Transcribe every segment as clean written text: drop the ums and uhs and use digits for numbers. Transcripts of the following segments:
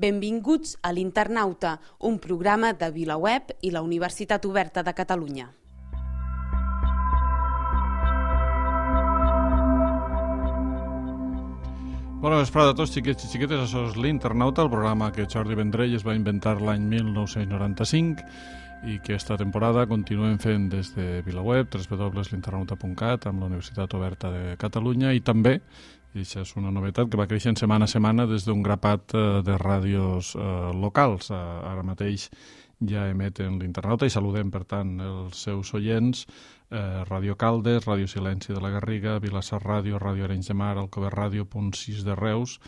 Benvinguts a l'Internauta, un programa de VilaWeb i la Universitat Oberta de Catalunya. Bona vesprada a tots, xiquets i xiquetes. Això és l'Internauta, el programa que Jordi Vendrell es va inventar l'any 1995 i que esta temporada continuem fent des de VilaWeb, www.l'internauta.cat, amb la Universitat Oberta de Catalunya, i també, i això és una novetat, que va creixent setmana a setmana des d'un grapat de ràdios locals. Ara mateix ja emeten l'Internauta i saludem, per tant, els seus oients: Ràdio Caldes, Ràdio Silenci de la Garriga, Vilassar Ràdio, Ràdio Arenys de Mar, Alcover Ràdio, Punt 6 de Reus,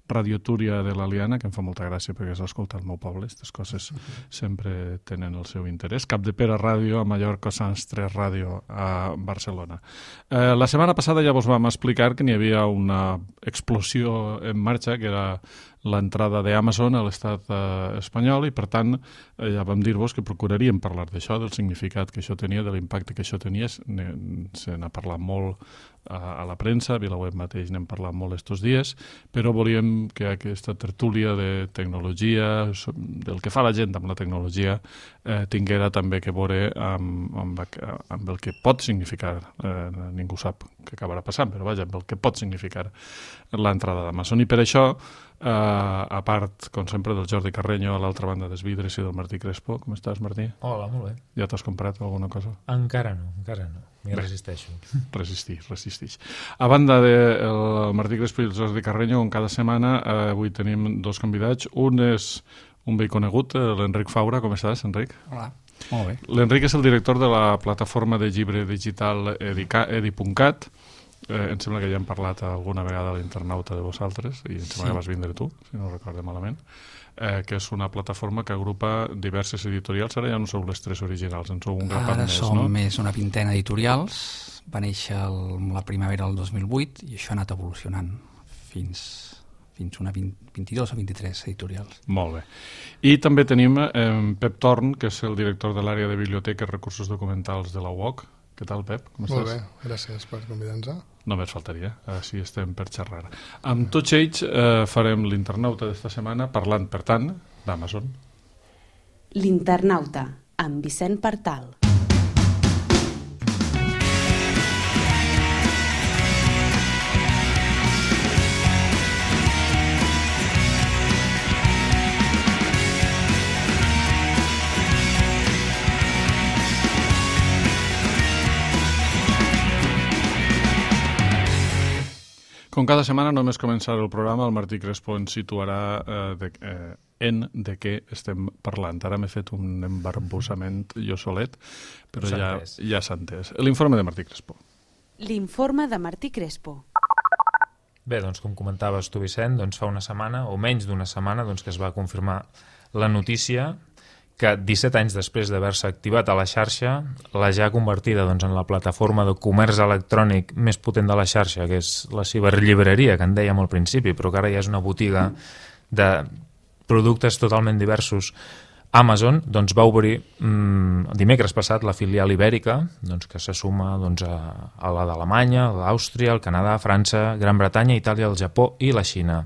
Ràdio Túria de l'Aliana, que em fa molta gràcia perquè s'escolta al meu poble, aquestes coses sempre tenen el seu interès, Capdepera Ràdio a Mallorca, Sants 3 Ràdio a Barcelona. La setmana passada ja vos vam explicar que n'hi havia una explosió en marxa, que era l'entrada d'Amazon a l'estat espanyol, i per tant ja vam dir-vos que procuraríem parlar d'això, del significat que això tenia, de l'impacte que això tenia. Se n'ha parlat molt a la premsa, a VilaWeb mateix n'hem parlat molt estos dies, però volíem que aquesta tertúlia de tecnologia, del que fa la gent amb la tecnologia, tinguera també que veure amb el que pot significar, ningú sap què acabarà passant, però vaja, amb el que pot significar l'entrada d'Amazon. I per això, a part, com sempre, del Jordi Carreño a l'altra banda dels vidres i del Martí Crespo. Com estàs, Martí? Hola, molt bé. Ja t'has comprat alguna cosa? Encara no. M'hi resisteixo. Resistix. A banda del Martí Crespo i el Jordi Carreño, com cada setmana, avui tenim dos convidats. Un és un vell conegut, l'Enric Faura. Com estàs, Enric? Hola, molt bé. L'Enric és el director de la plataforma de llibre digital edi.cat. Em sembla que ja hem parlat alguna vegada a l'Internauta de vosaltres, i em sembla que vas vindre tu, si no recordo malament, que és una plataforma que agrupa diverses editorials. Ara ja no sou les tres originals, en sou un grapat més, no? Ara som més una vintena d'editorials. Va néixer la primavera del 2008 i això ha anat evolucionant fins una 22 o 23 editorials. Molt bé. I també tenim Pep Torn, que és el director de l'àrea de biblioteca i recursos documentals de la UOC. Què tal, Pep? Com estàs? Molt bé, gràcies per convidar-nos. Només faltaria, així estem per xerrar. Amb tots ells farem l'Internauta d'esta setmana, parlant, per tant, d'Amazon. L'Internauta, amb Vicent Partal. Com cada setmana, només començar el programa, el Martí Crespo ens situarà de què estem parlant. Ara m'he fet un embarbussament jo solet, però ja s'ha entès. L'informe de Martí Crespo. L'informe de Martí Crespo. Bé, doncs com comentaves tu, Vicent, doncs fa una setmana, o menys d'una setmana, doncs que es va confirmar la notícia que 17 anys després d'haver-se activat a la xarxa, la ja convertida doncs, en la plataforma de comerç electrònic més potent de la xarxa, que és la ciberllibreria, que en dèiem al principi, però que ara ja és una botiga de productes totalment diversos, Amazon doncs, va obrir dimecres passat la filial ibèrica, doncs, que se suma doncs, a la d'Alemanya, l'Àustria, el Canadà, França, Gran Bretanya, Itàlia, el Japó i la Xina.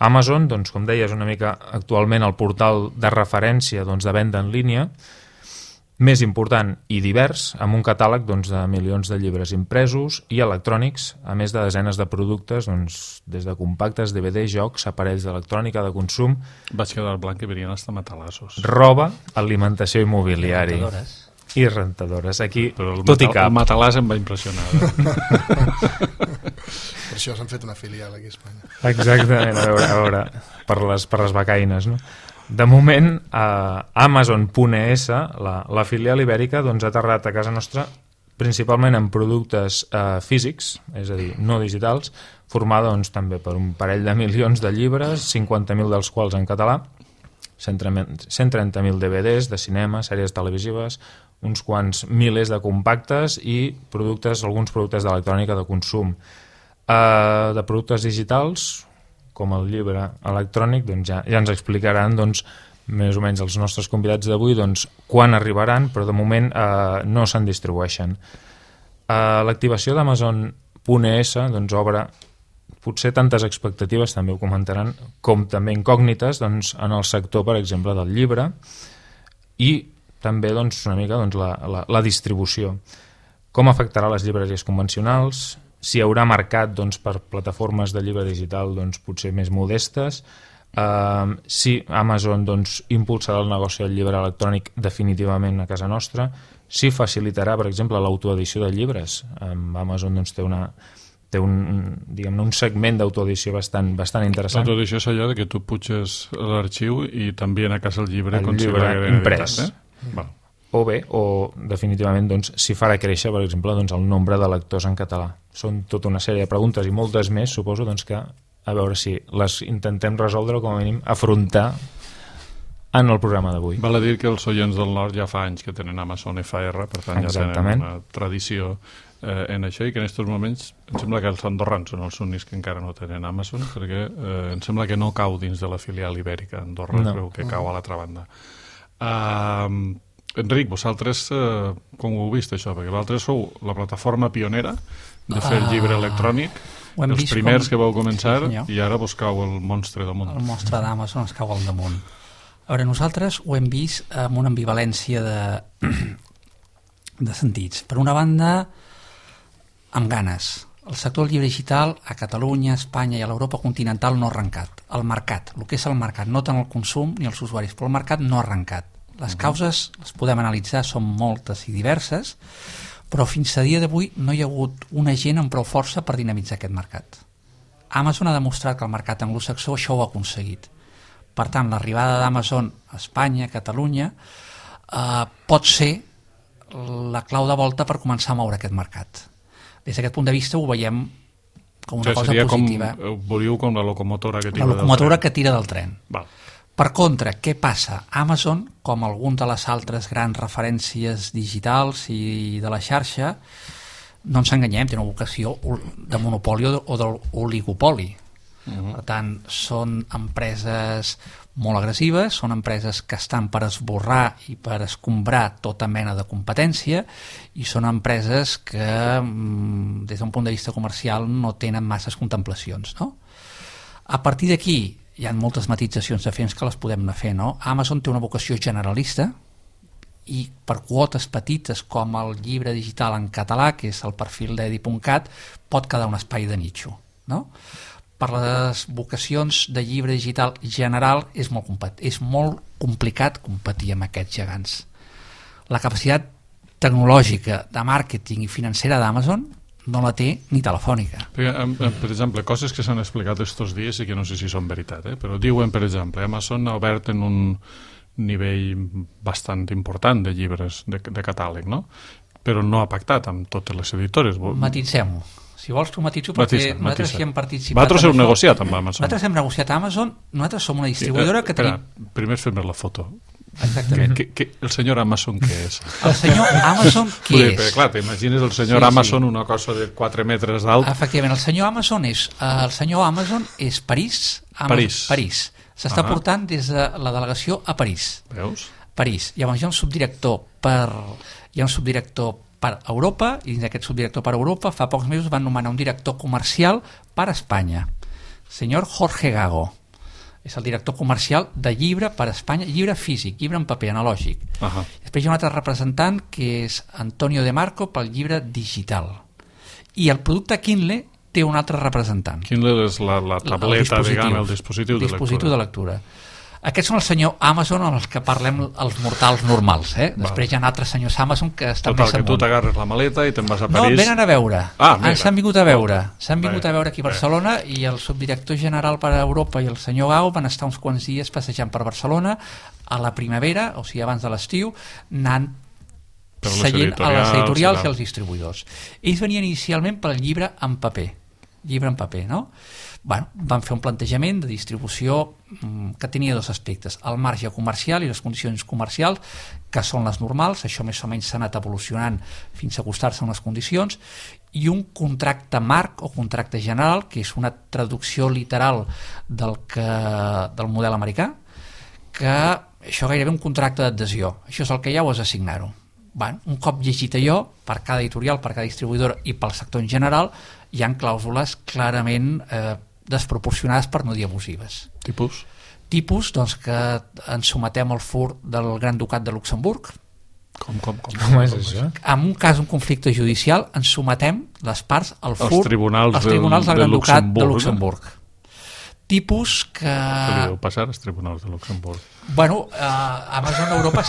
Amazon, doncs, com deia, és una mica actualment el portal de referència doncs, de venda en línia més important i divers, amb un catàleg doncs, de milions de llibres impresos i electrònics, a més de desenes de productes, doncs, des de compactes, DVD, jocs, aparells d'electrònica de consum... Vaig quedar al blanc que venien hasta matalassos. Roba, alimentació i mobiliari. I rentadores. Aquí, tot i cap. El matalàs em va impressionar. Per això s'han fet una filial aquí a Espanya. Exactament, a veure per les becaines, no? De moment, Amazon.es, la filial ibèrica, doncs, ha aterrat a casa nostra principalment en productes físics, és a dir, no digitals, formada doncs, també per un parell de milions de llibres, 50.000 dels quals en català, 130.000 DVDs de cinema, sèries televisives, uns quants milers de compactes i alguns productes d'electrònica de consum. De productes digitals, com el llibre electrònic, doncs ja ens explicaran doncs, més o menys els nostres convidats d'avui doncs, quan arribaran, però de moment no se'n distribueixen. L'activació d'Amazon.es doncs, obre potser tantes expectatives, també ho comentaran, com també incògnites doncs, en el sector, per exemple, del llibre, i també doncs, una mica doncs, la distribució. Com afectarà les llibreries convencionals? Si hi haurà mercat doncs, per plataformes de llibre digital doncs, potser més modestes? Si Amazon doncs, impulsarà el negoci del llibre electrònic definitivament a casa nostra? Si facilitarà, per exemple, l'autoedició de llibres? Amazon doncs, té un segment d'autoedició bastant interessant. L'autoedició és allò que tu puges l'arxiu i t'envien a casa el llibre imprès. O bé, o definitivament doncs, si farà créixer, per exemple, doncs, el nombre de lectors en català. Són tota una sèrie de preguntes i moltes més, suposo, doncs, que a veure si les intentem resoldre o com a mínim afrontar en el programa d'avui. Val a dir que els oients del nord ja fa anys que tenen Amazon FR, per tant ja tenen una tradició en això, i que en aquests moments em sembla que els andorrans són els únics que encara no tenen Amazon, perquè em sembla que no cau dins de la filial ibèrica. Andorra creu que cau a l'altra banda. Enric, vosaltres com ho heu vist això? Perquè vosaltres sou la plataforma pionera de fer el llibre electrònic, els primers que vau començar, i ara vos cau el monstre damunt. El monstre d'Amazon ens cau al damunt. A veure, nosaltres ho hem vist amb una ambivalència de sentits. Per una banda, amb ganes. El sector del llibre digital a Catalunya, a Espanya i a l'Europa continental no ha arrencat. El mercat, el que és el mercat, no tant el consum ni els usuaris, però el mercat no ha arrencat. Les causes les podem analitzar, són moltes i diverses, però fins a dia d'avui no hi ha hagut un agent amb prou força per dinamitzar aquest mercat. Amazon ha demostrat que el mercat anglosaxó això ho ha aconseguit. Per tant, l'arribada d'Amazon a Espanya, a Catalunya, pot ser la clau de volta per començar a moure aquest mercat. Des d'aquest punt de vista ho veiem com una cosa positiva. Voliu com la locomotora que tira del tren. La locomotora que tira del tren. Val. Per contra, què passa? Amazon, com algunes de les altres grans referències digitals i de la xarxa, no ens enganyem, té una vocació de monopoli o d'oligopoli. Per tant, són empreses molt agressives, són empreses que estan per esborrar i per escombrar tota mena de competència, i són empreses que, des d'un punt de vista comercial, no tenen masses contemplacions, no? A partir d'aquí, hi ha moltes matitzacions diferents que les podem anar fer, no? Amazon té una vocació generalista i per quotes petites com el llibre digital en català, que és el perfil d'edi.cat, pot quedar un espai de nicho, no? Per les vocacions de llibre digital general és molt complicat competir amb aquests gegants. La capacitat tecnològica, de màrqueting i financera d'Amazon no la té ni Telefònica. Per exemple, coses que s'han explicat estos dies i que no sé si són veritat, però diuen, per exemple, Amazon ha obert en un nivell bastant important de llibres de catàleg, no? Però no ha pactat amb totes les editores. Matitzem-ho. Si vols t'ho matitzo, perquè nosaltres hi hem participat. Vosaltres heu negociat amb Amazon. Nosaltres hem negociat amb Amazon, nosaltres som una distribuïdora que tenim... Primer fem la foto. Exactament. El senyor Amazon què és? El senyor Amazon què és? Perquè, clar, t'imagines el senyor Amazon, una cosa de 4 metres d'alt. Efectivament, el senyor Amazon és París. S'està portant des de la delegació a París. Veus? París. Llavors hi ha un subdirector per Europa, i dins d'aquest subdirector per Europa fa pocs mesos van nomenar un director comercial per Espanya, senyor Jorge Gago. És el director comercial de llibre per Espanya, llibre físic, llibre en paper, analògic. Després hi ha un altre representant que és Antonio De Marco pel llibre digital. I el producte Kindle té un altre representant. Kindle és la tableta, diguem, el dispositiu de lectura. Aquests són el senyor Amazon amb els que parlem els mortals normals. Després hi ha altres senyors Amazon que estan més amunt. Que tu t'agarres la maleta i te'n vas a París. No, venen a veure. S'han vingut a veure. S'han vingut a veure aquí a Barcelona, i el subdirector general per a Europa i el senyor Gau van estar uns quants dies passejant per Barcelona a la primavera, o sigui abans de l'estiu, anant seient a les editorials i als distribuïdors. Ells venien inicialment pel llibre en paper, no? Van fer un plantejament de distribució que tenia dos aspectes: el marge comercial i les condicions comercials, que són les normals, això més o menys s'ha anat evolucionant fins a acostar-se a unes condicions, i un contracte marc o contracte general, que és una traducció literal del model americà, que això gairebé un contracte d'adhesió. Això és el que hi ha, o has de signar-ho. un cop llegit allò, per cada editorial, per cada distribuïdora i pel sector en general, hi ha clàusules clarament desproporcionades, per no dir abusives. Tipus? Tipus, doncs, que ens sometem al fur del Gran Ducat de Luxemburg. Com és això? En un cas, un conflicte judicial, ens sometem les parts al fur als tribunals del Gran Ducat de Luxemburg. Tipus que... Què li deu passar als tribunals de Luxemburg? Bueno, Amazon Europa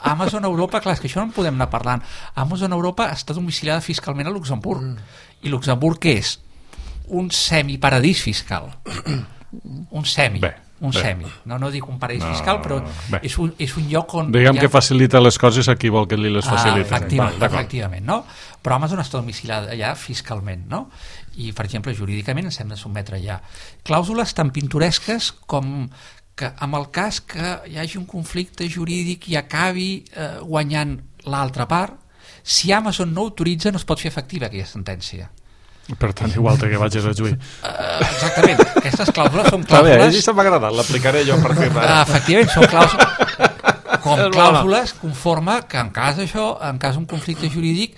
Amazon Europa, clar, és que això no en podem anar parlant. Amazon Europa està domiciliada fiscalment a Luxemburg. I Luxemburg què és? Un semiparadís fiscal. Un semi. No dic un paradís fiscal, però és un lloc on... Diguem que facilita les coses a qui vol que li les facilita. Efectivament, no? Però Amazon està domiciliada allà fiscalment, no? I, per exemple, jurídicament ens hem de sotmetre allà. Clàusules tan pintoresques com que en el cas que hi hagi un conflicte jurídic i acabi guanyant l'altra part, si Amazon no autoritza no es pot fer efectiva aquella sentència. Per tant, igual que vagis a juí. Exactament, aquestes clàusules són clàusules... Això m'ha agradat, l'aplicaré jo a partir d'ara. Efectivament, són clàusules conforme que en cas d'un conflicte jurídic,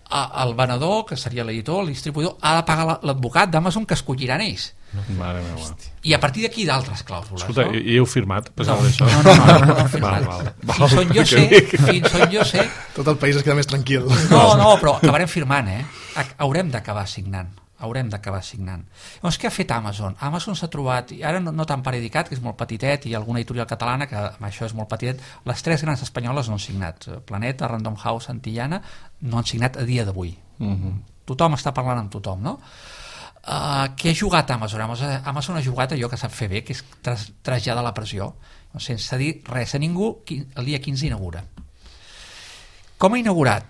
el venedor, que seria l'editor, el distribuïdor, ha de pagar l'advocat d'Amazon que escolliran ells. Mare meva. I a partir d'aquí d'altres clàusules. Escolta, no? I heu firmat? No he firmat. Fins on jo sé... Tot el país es queda més tranquil. No, però acabarem firmant, haurem d'acabar signant. Llavors, què ha fet Amazon? Amazon s'ha trobat, i ara no tan per Edicat, que és molt petitet, i alguna editorial catalana, que amb això és molt petitet, les 3 grans espanyoles no han signat. Planeta, Random House, Antillana, no han signat a dia d'avui. Tothom està parlant amb tothom, no? Què ha jugat Amazon? Amazon ha jugat allò que sap fer bé, que és traslladar la pressió, sense dir res a ningú. El dia 15 inaugura. Com ha inaugurat?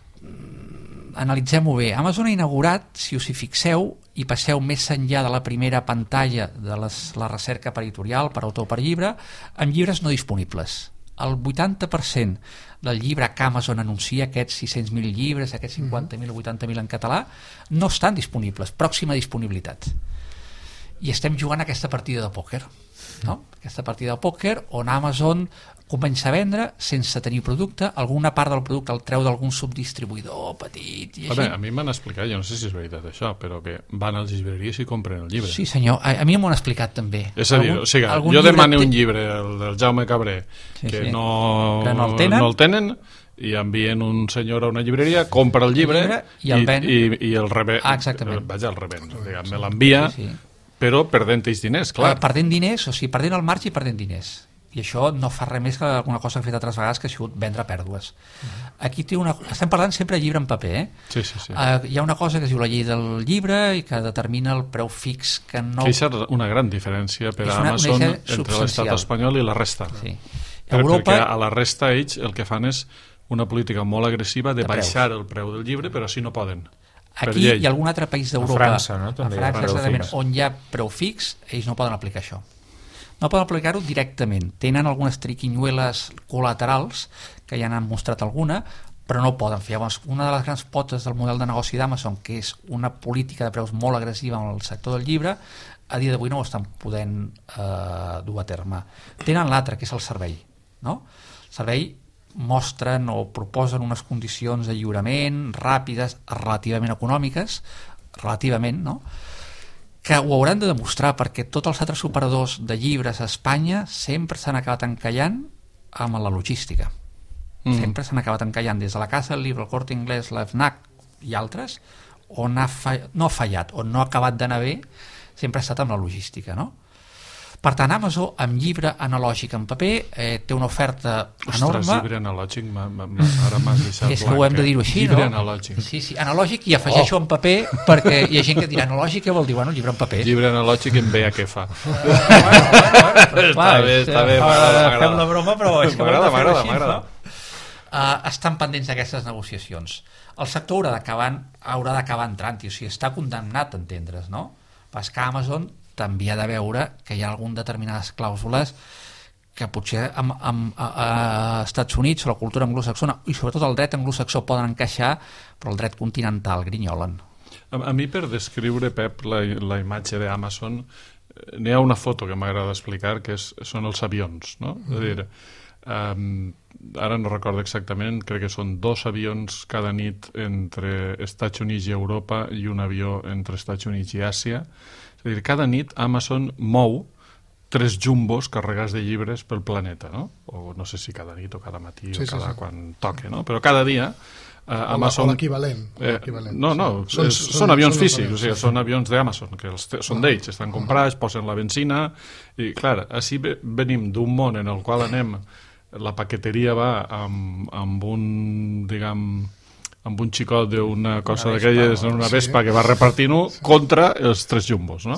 Analitzem-ho bé. Amazon ha inaugurat, si us hi fixeu i passeu més enllà de la primera pantalla de la recerca per editorial, per autor, per llibre, amb llibres no disponibles. El 80% del llibre que Amazon anuncia, aquests 600.000 llibres, aquests 50.000 o 80.000 en català, no estan disponibles, pròxima disponibilitat. I estem jugant aquesta partida de pòquer, no? Aquesta partida de pòquer on Amazon comença a vendre sense tenir producte, alguna part del producte el treu d'algun subdistribuïdor petit i així. A mi m'han explicat, jo no sé si és veritat això, però que van a les llibreries i compren el llibre. Sí senyor, a mi m'ho han explicat també. És a dir, jo demano un llibre, el del Jaume Cabré, que no el tenen, i envien un senyor a una llibreria, compra el llibre i el ven. I el revèn. Exactament. Vaja, el revèn, me l'envia, però perdent ells diners, clar. Perdent diners, o sigui, perdent el marge i perdent diners. I això no fa res més que alguna cosa que he fet altres vegades, que ha sigut vendre pèrdues. Aquí estem parlant sempre de llibre en paper, Sí. Hi ha una cosa que es diu la llei del llibre i que determina el preu fix que no... Que és una gran diferència per a Amazon entre l'estat espanyol i la resta. Sí. Perquè a la resta ells el que fan és una política molt agressiva de baixar el preu del llibre, però així no poden. Aquí i algun altre país d'Europa, a França, no? També a França, on hi ha preu fix, ells no poden aplicar això. No poden aplicar-ho directament. Tenen algunes triquinyueles col·laterals, que ja n'han mostrat alguna, però no ho poden fer. Llavors, una de les grans potes del model de negoci d'Amazon, que és una política de preus molt agressiva en el sector del llibre, a dia d'avui no ho estan podent dur a terme. Tenen l'altre, que és el servei. No? El servei mostren o proposen unes condicions de lliurament ràpides, relativament econòmiques, no? Que ho hauran de demostrar, perquè tots els altres operadors de llibres a Espanya sempre s'han acabat encallant amb la logística. Sempre s'han acabat encallant des de la Casa del Llibre, el Corte Inglés, la FNAC i altres, on no ha fallat, on no ha acabat d'anar bé, sempre ha estat amb la logística, no? Per tant, Amazon, amb llibre analògic en paper, té una oferta enorme. Ostres, llibre analògic, ara m'has deixat blanc. Ho hem de dir-ho així, llibre no? Analògic. Sí, analògic, i afegeixo en paper, perquè hi ha gent que dirà analògic, què vol dir? Bueno, llibre en paper. Llibre analògic en veia què fa. Està bé, fem la broma, però és que m'agrada. Estan pendents d'aquestes negociacions. El sector haurà d'acabar entrant-hi, o sigui, està condemnat a entendre's, no? Pas que Amazon també ha de veure que hi ha algunes determinades clàusules que potser a Estats Units, la cultura anglosaxona i sobretot el dret anglosaxó poden encaixar, però el dret continental grinyolen. A mi, per descriure, Pep, la imatge d'Amazon, n'hi ha una foto que m'agrada explicar, que són els avions, no? És a dir, ara no recordo exactament, crec que són 2 avions cada nit entre Estats Units i Europa i un avió entre Estats Units i Àsia. És a dir, cada nit Amazon mou 3 jumbos carregats de llibres pel planeta, no? O no sé si cada nit o cada matí o cada quan toque, no? Però cada dia Amazon... O l'equivalent. No, són avions físics, o sigui, són avions d'Amazon, que són d'ells, estan comprats, posen la benzina, i clar, així venim d'un món en el qual anem, la paqueteria va amb un, diguem, amb un xicot d'una cosa d'aquelles, una vespa que va repartint-ho, contra els 3 jumbos, no?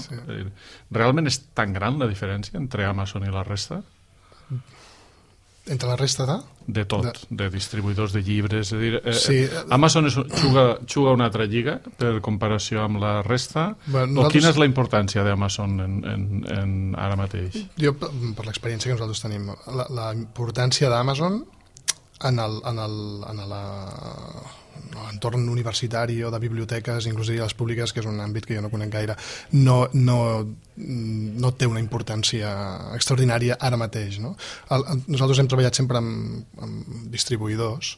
Realment és tan gran la diferència entre Amazon i la resta? Entre la resta de? De tot, de distribuïdors de llibres. És a dir, Amazon juga una altra lliga per comparació amb la resta? O quina és la importància d'Amazon ara mateix? Jo, per l'experiència que nosaltres tenim, la importància d'Amazon en l'entorn universitari o de biblioteques, inclusive les públiques, que és un àmbit que jo no conec gaire, no té una importància extraordinària ara mateix, no? Nosaltres hem treballat sempre amb distribuïdors,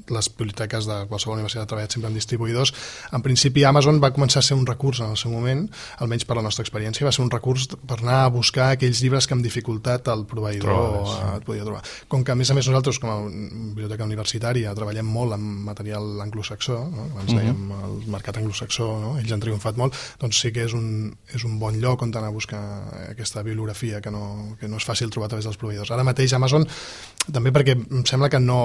les biblioteques de qualsevol universitat ha treballat sempre amb distribuïdors. En principi Amazon va començar a ser un recurs en el seu moment, almenys per la nostra experiència, va ser un recurs per anar a buscar aquells llibres que amb dificultat el proveïdor et podia trobar. Com que a més nosaltres com a biblioteca universitària treballem molt amb material anglosaxó, no? Abans dèiem el mercat anglosaxó, no? Ells han triomfat molt, doncs sí que és un bon lloc on anar a buscar aquesta bibliografia que no és fàcil trobar a través dels proveïdors. Ara mateix Amazon, també perquè em sembla que no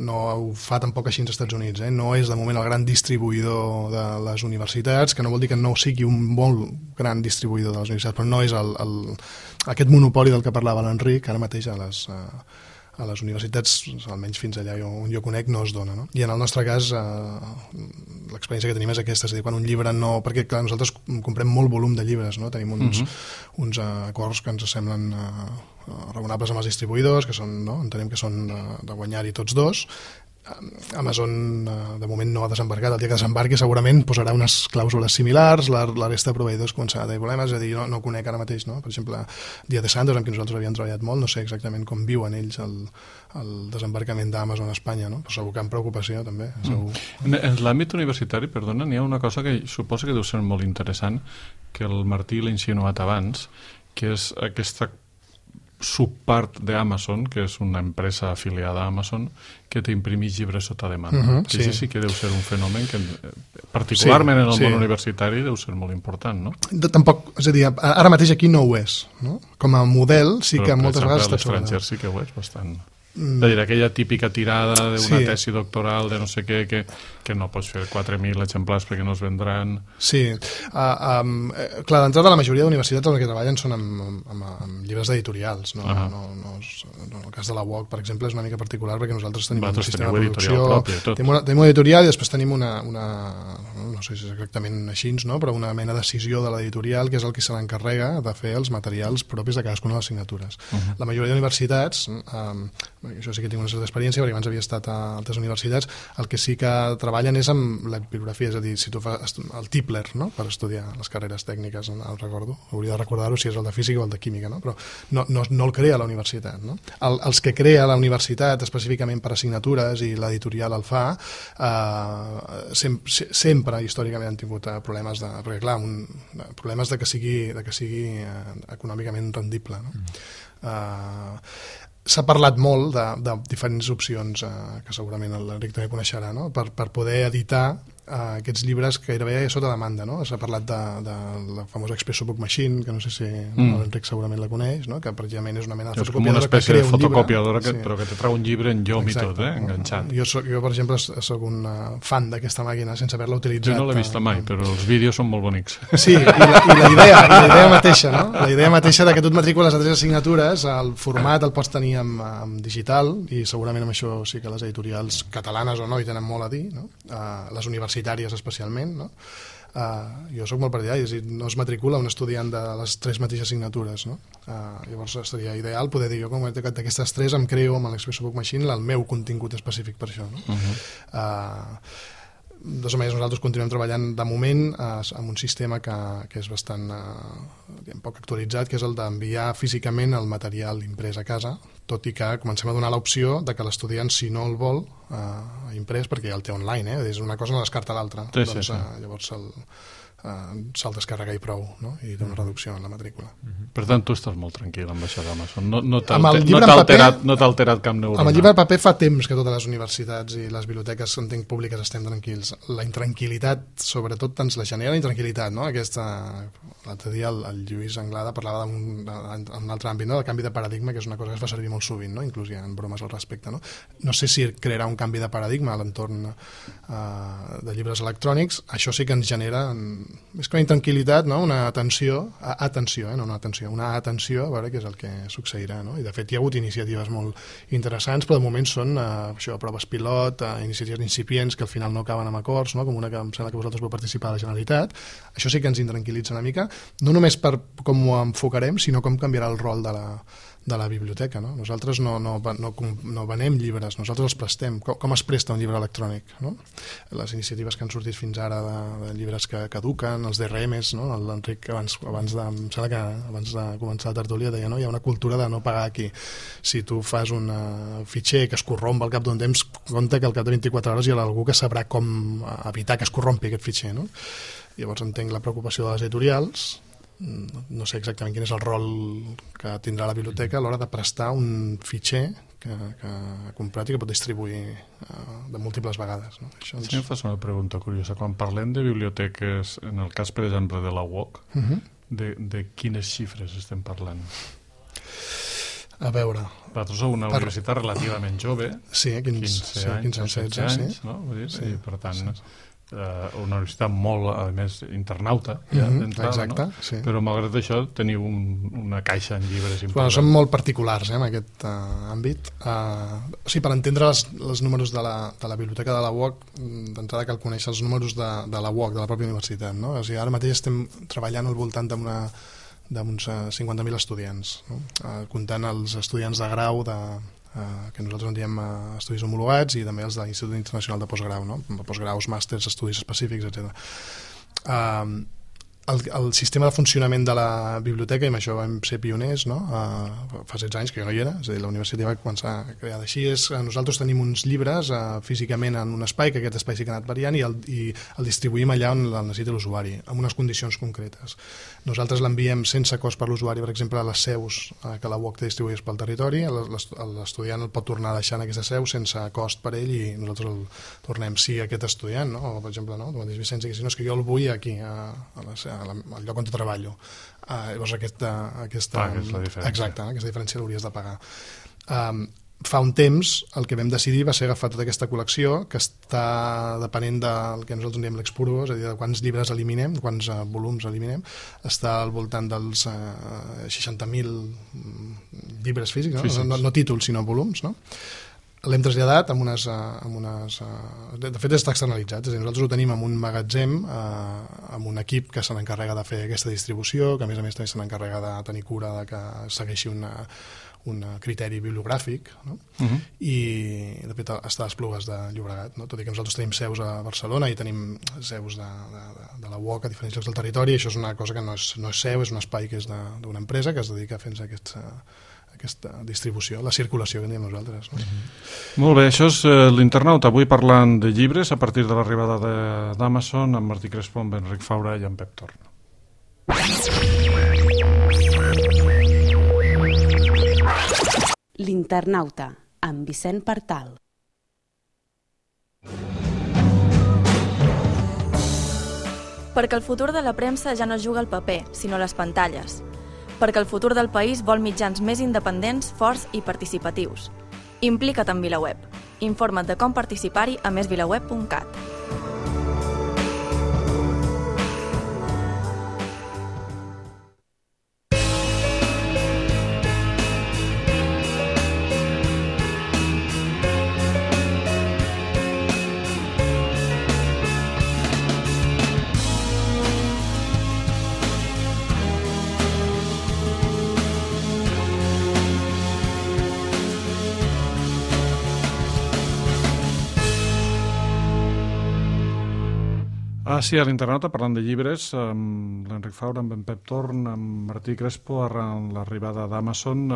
ho fa tampoc així als Estats Units, no és de moment el gran distribuïdor de les universitats, que no vol dir que no sigui un molt gran distribuïdor de les universitats, però no és aquest monopoli del que parlava l'Enric, ara mateix a les universitats, almenys fins allà on jo conec, no es dona, no? I en el nostre cas l'experiència que tenim és aquesta, és a dir, quan un llibre no... Perquè clar, nosaltres comprem molt volum de llibres, no? Tenim uns acords que ens semblen raonables amb els distribuïdors, que són, no? Entenem que són de guanyar-hi tots dos. Amazon de moment no ha desembarcat, el dia que desembarqui segurament posarà unes clàusules similars, la resta de proveïdors començarà a tenir problemes, és a dir, no conec ara mateix, no? Per exemple, Díaz de Santos, amb qui nosaltres havíem treballat molt, no sé exactament com viuen ells el desembarcament d'Amazon a Espanya, no? Però segur que amb preocupació també, segur. En l'àmbit universitari, perdona, n'hi ha una cosa que suposo que deu ser molt interessant, que el Martí l'ha insinuat abans, que és aquesta subpart d'Amazon, que és una empresa afiliada a Amazon, que t'imprimís llibres sota demanda. Que sí que deu ser un fenomen que, particularment en el món universitari, deu ser molt important, no? Tampoc, és a dir, ara mateix aquí no ho és, no? Com a model sí que moltes vegades està sobre. Però, per exemple, a l'estranger sí que ho és bastant. És a dir, aquella típica tirada d'una tesi doctoral de no sé què, que no pots fer 4.000 exemplars perquè no es vendran. Sí. Clar, d'entrada la majoria d'universitats en què treballen són amb llibres editorials. No, en el cas de la UOC, per exemple, és una mica particular perquè nosaltres tenim un sistema de producció. Tenim un editorial i després tenim una no sé si és exactament així, no? Però una mena de decisió de l'editorial que és el que se l'encarrega de fer els materials propis de cadascuna de les signatures. La majoria d'universitats, això sí que tinc una certa experiència perquè abans havia estat a altres universitats, el que sí que treballen és amb la bibliografia, és a dir, si tu fas el Tipler, no? Per estudiar les carreres tècniques, no recordo, hauria de recordar-ho si és el de física o el de química, no? Però no el crea la universitat, no? Els que crea la universitat específicament per assignatures i l'editorial el fa, sempre històricament han tingut problemes perquè clar, problemes de que sigui econòmicament rendible, no? S'ha parlat molt de diferents opcions que segurament l'Enric també coneixerà, no? Per poder editar aquests llibres gairebé sota demanda, no? S'ha parlat de la famosa Expresso Book Machine, que no sé si l'Enric segurament la coneix, no? Que precisament és una mena de fotocopiadora. És com una espècie de fotocopiadora però que te trau un llibre en llom i tot, enganxat. Jo, per exemple, soc un fan d'aquesta màquina sense haver-la utilitzat. Jo no l'he vista mai, però els vídeos són molt bonics. Sí, i la idea mateixa, no? La idea mateixa de que tu et matricules a 3 assignatures, el format el pots tenir en digital, i segurament amb això sí que les editorials catalanes o no hi tenen molt a dir, no? Les universitàries especialment, no? Jo soc molt partidari, és a dir, no es matricula un estudiant de les 3 mateixes signatures, no? Llavors seria ideal poder dir, jo com d'aquestes 3 em creo amb l'Expresso Book Machine el meu contingut específic per això, no? De totes maneres, nosaltres continuem treballant de moment amb un sistema que és bastant poc actualitzat, que és el d'enviar físicament el material imprès a casa, tot i que comencem a donar l'opció de que l'estudiant, si no el vol imprès, perquè ja el té online, és una cosa no descarta l'altra, doncs llavors se'l descarrega i prou, no? I té una reducció en la matrícula. Per tant, tu estàs molt tranquil amb això d'Amazon. No t'ha alterat cap neurona. Amb el llibre en paper fa temps que totes les universitats i les biblioteques, entenc, públiques estem tranquils. La intranquil·litat, sobretot, ens la genera la intranquil·litat, no? L'altre dia el Lluís Anglada parlava en un altre àmbit, no? El canvi de paradigma, que és una cosa que es fa servir molt sovint, no? Inclús hi ha bromes al respecte, no? No sé si crearà un canvi de paradigma a l'entorn de llibres electrònics. Això sí que ens genera més que una intranquil·litat, no? Una atenció, una atenció a veure què és el que succeirà, no? I de fet hi ha hagut iniciatives molt interessants, però de moment són proves pilot, iniciatives incipients que al final no acaben amb acords, no? Com una que em sembla que vosaltres vau participar a la Generalitat. Això sí que ens intranquil·litza una mica, no només per com ho enfocarem, sinó com canviarà el rol de la biblioteca, no? Nosaltres no venem llibres, nosaltres els prestem. Com es presta un llibre electrònic, no? Les iniciatives que han sortit fins ara de llibres que caduquen, els DRMs, no? L'Enric abans de començar la tertúlia deia, no? Hi ha una cultura de no pagar aquí. Si tu fas un fitxer que es corromp al cap d'un temps, compte que al cap de 24 hores hi ha algú que sabrà com evitar que es corrompi aquest fitxer, no? Llavors entenc la preocupació de les editorials. No sé exactament quin és el rol que tindrà la biblioteca a l'hora de prestar un fitxer que ha comprat i que pot distribuir de múltiples vegades, no? Això Sí, em fas una pregunta curiosa. Quan parlem de biblioteques, en el cas, per exemple, de la UOC, de quines xifres estem parlant? A veure... Vosaltres sou una universitat relativament jove, 15 anys, 16 anys, no? Vull dir, i per tant... una universitat molt, a més, internauta d'entrada, exacte, no? Sí. Però malgrat això teniu una caixa en llibres important. Són molt particulars en aquest àmbit. Per entendre els números de la biblioteca de la UOC, d'entrada cal conèixer els números de la UOC, de la pròpia universitat, no? O sigui, ara mateix estem treballant al voltant d'uns 50.000 estudiants, no? Comptant els estudiants de grau que nosaltres en diem estudis homologats, i també els de l'Institut Internacional de Postgrau, no? Postgraus, màsters, estudis específics, etc. El sistema de funcionament de la biblioteca, i amb això vam ser pioners, no? Fa 16 anys que jo no hi era, és a dir, la universitat va començar a crear d'així. Nosaltres tenim uns llibres físicament en un espai, que aquest espai sí que ha anat variant, i el distribuïm allà on el necessita l'usuari, amb unes condicions concretes. Nosaltres l'enviem sense cost per l'usuari, per exemple, a les seus que la UOC té distribuïdes pel territori. L'estudiant el pot tornar a deixar en aquesta seu sense cost per ell, i nosaltres el tornem. Si aquest estudiant, no? O, per exemple, no? Tu mateix, Vicenç, si no, és que jo el vull aquí, al lloc on treballo, llavors aquesta diferència. Exacte, aquesta diferència l'hauries de pagar. Fa un temps el que vam decidir va ser agafar tota aquesta col·lecció, que està depenent del que nosaltres diem l'expurgo, és a dir, de quants llibres eliminem, quants volums eliminem, està al voltant dels 60.000 llibres físics, no? No títols, sinó volums, no? L'hem traslladat amb unes... De fet, està externalitzat. És a dir, nosaltres ho tenim en un magatzem amb un equip que se n'encarrega de fer aquesta distribució, que a més també se n'encarrega de tenir cura de que segueixi un criteri bibliogràfic, no? I de fet està a les Esplugues de Llobregat, no? Tot i que nosaltres tenim seus a Barcelona i tenim seus de la UOC a diferents llocs del territori. Això és una cosa que no és seu, és un espai que és d'una empresa que es dedica a fer aquesta distribució, la circulació que en diem nosaltres, no? Molt bé, això és l'Internauta, avui parlant de llibres a partir de l'arribada d'Amazon, amb Martí Crespo, amb Enric Faura i amb Pep Torno. L'Internauta, amb Vicent Partal. Perquè el futur de la premsa ja no es juga al paper, sinó a les pantalles. Perquè el futur del país vol mitjans més independents, forts i participatius. Implica't en VilaWeb. Informa't de com participar-hi a mesvilaweb.cat. Sí, a l'internauta, parlant de llibres, amb l'Enric Faura, amb en Pep Torn, amb Martí Crespo, arran l'arribada d'Amazon,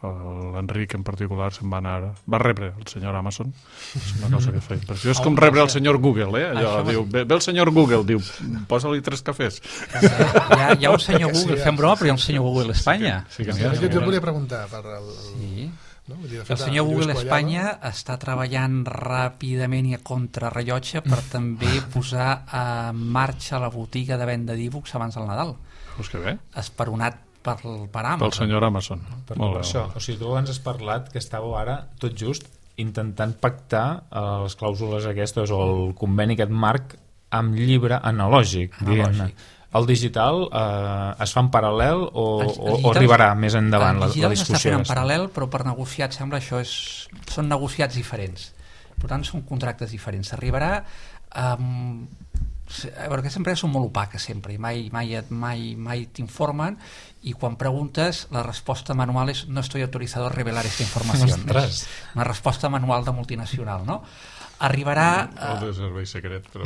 l'Enric en particular va rebre el senyor Amazon. És una cosa que fa impressió. És com rebre el senyor Google, allò, diu, ve el senyor Google, diu, posa-li 3 cafès. Hi ha un senyor Google, fem broma, però hi ha un senyor Google Espanya. Jo volia preguntar per Sí. No? El senyor Google Espanya està treballant ràpidament i a contrarrellotge per també posar en marxa la botiga de venda d'e-books abans del Nadal. Pues que bé. Esperonat per Amazon. Pel senyor Amazon. Molt bé. Això, o sigui, tu abans has parlat que estàveu ara tot just intentant pactar les clàusules aquestes o el conveni aquest marc amb llibre analògic. Diguem-ne. El digital es fa en paral·lel o arribarà més endavant la discussió? El digital s'està fent en paral·lel, però per negociar, sembla, són negociats diferents. Per tant, són contractes diferents. Arribarà... Aquestes empreses són molt opaques sempre i mai t'informen, i quan preguntes la resposta manual és no estoy autorizado a revelar esta información. És una resposta manual de multinacional, no? Arribarà... O de servei secret, però...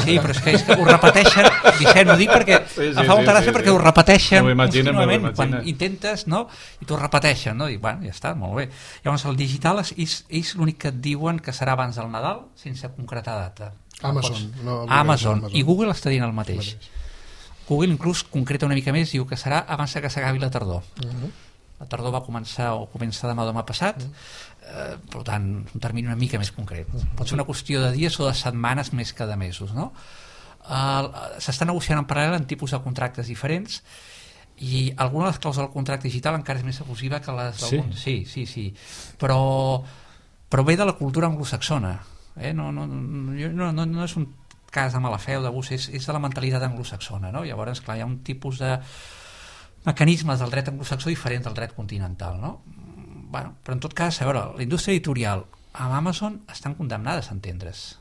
Sí, però és que ho repeteixen, Vicent, ho dic perquè em fa molta gràcia perquè ho repeteixen contínuament quan intentes, no? I t'ho repeteixen, no? I bueno, ja està, molt bé. Llavors el digital és l'únic que et diuen que serà abans del Nadal sense concretar data. Amazon. I Google està dient el mateix. Google inclús concreta una mica més, diu que serà abans que s'acabi la tardor. La tardor va començar o comença demà passat, per tant, un termini una mica més concret. Pot ser una qüestió de dies o de setmanes més que de mesos, no? S'està negociant en paral·lel en tipus de contractes diferents i alguna de les clàusules del contracte digital encara és més abusiva que les d'alguns. Sí. Però ve de la cultura anglosaxona. No és un cas de mala fe o d'abús, és de la mentalitat anglosaxona, no? Llavors, clar, hi ha un tipus de mecanismes del dret anglosaxó diferent del dret continental, no? Bueno, però en tot cas, a veure, la indústria editorial amb Amazon estan condemnades a entendre's.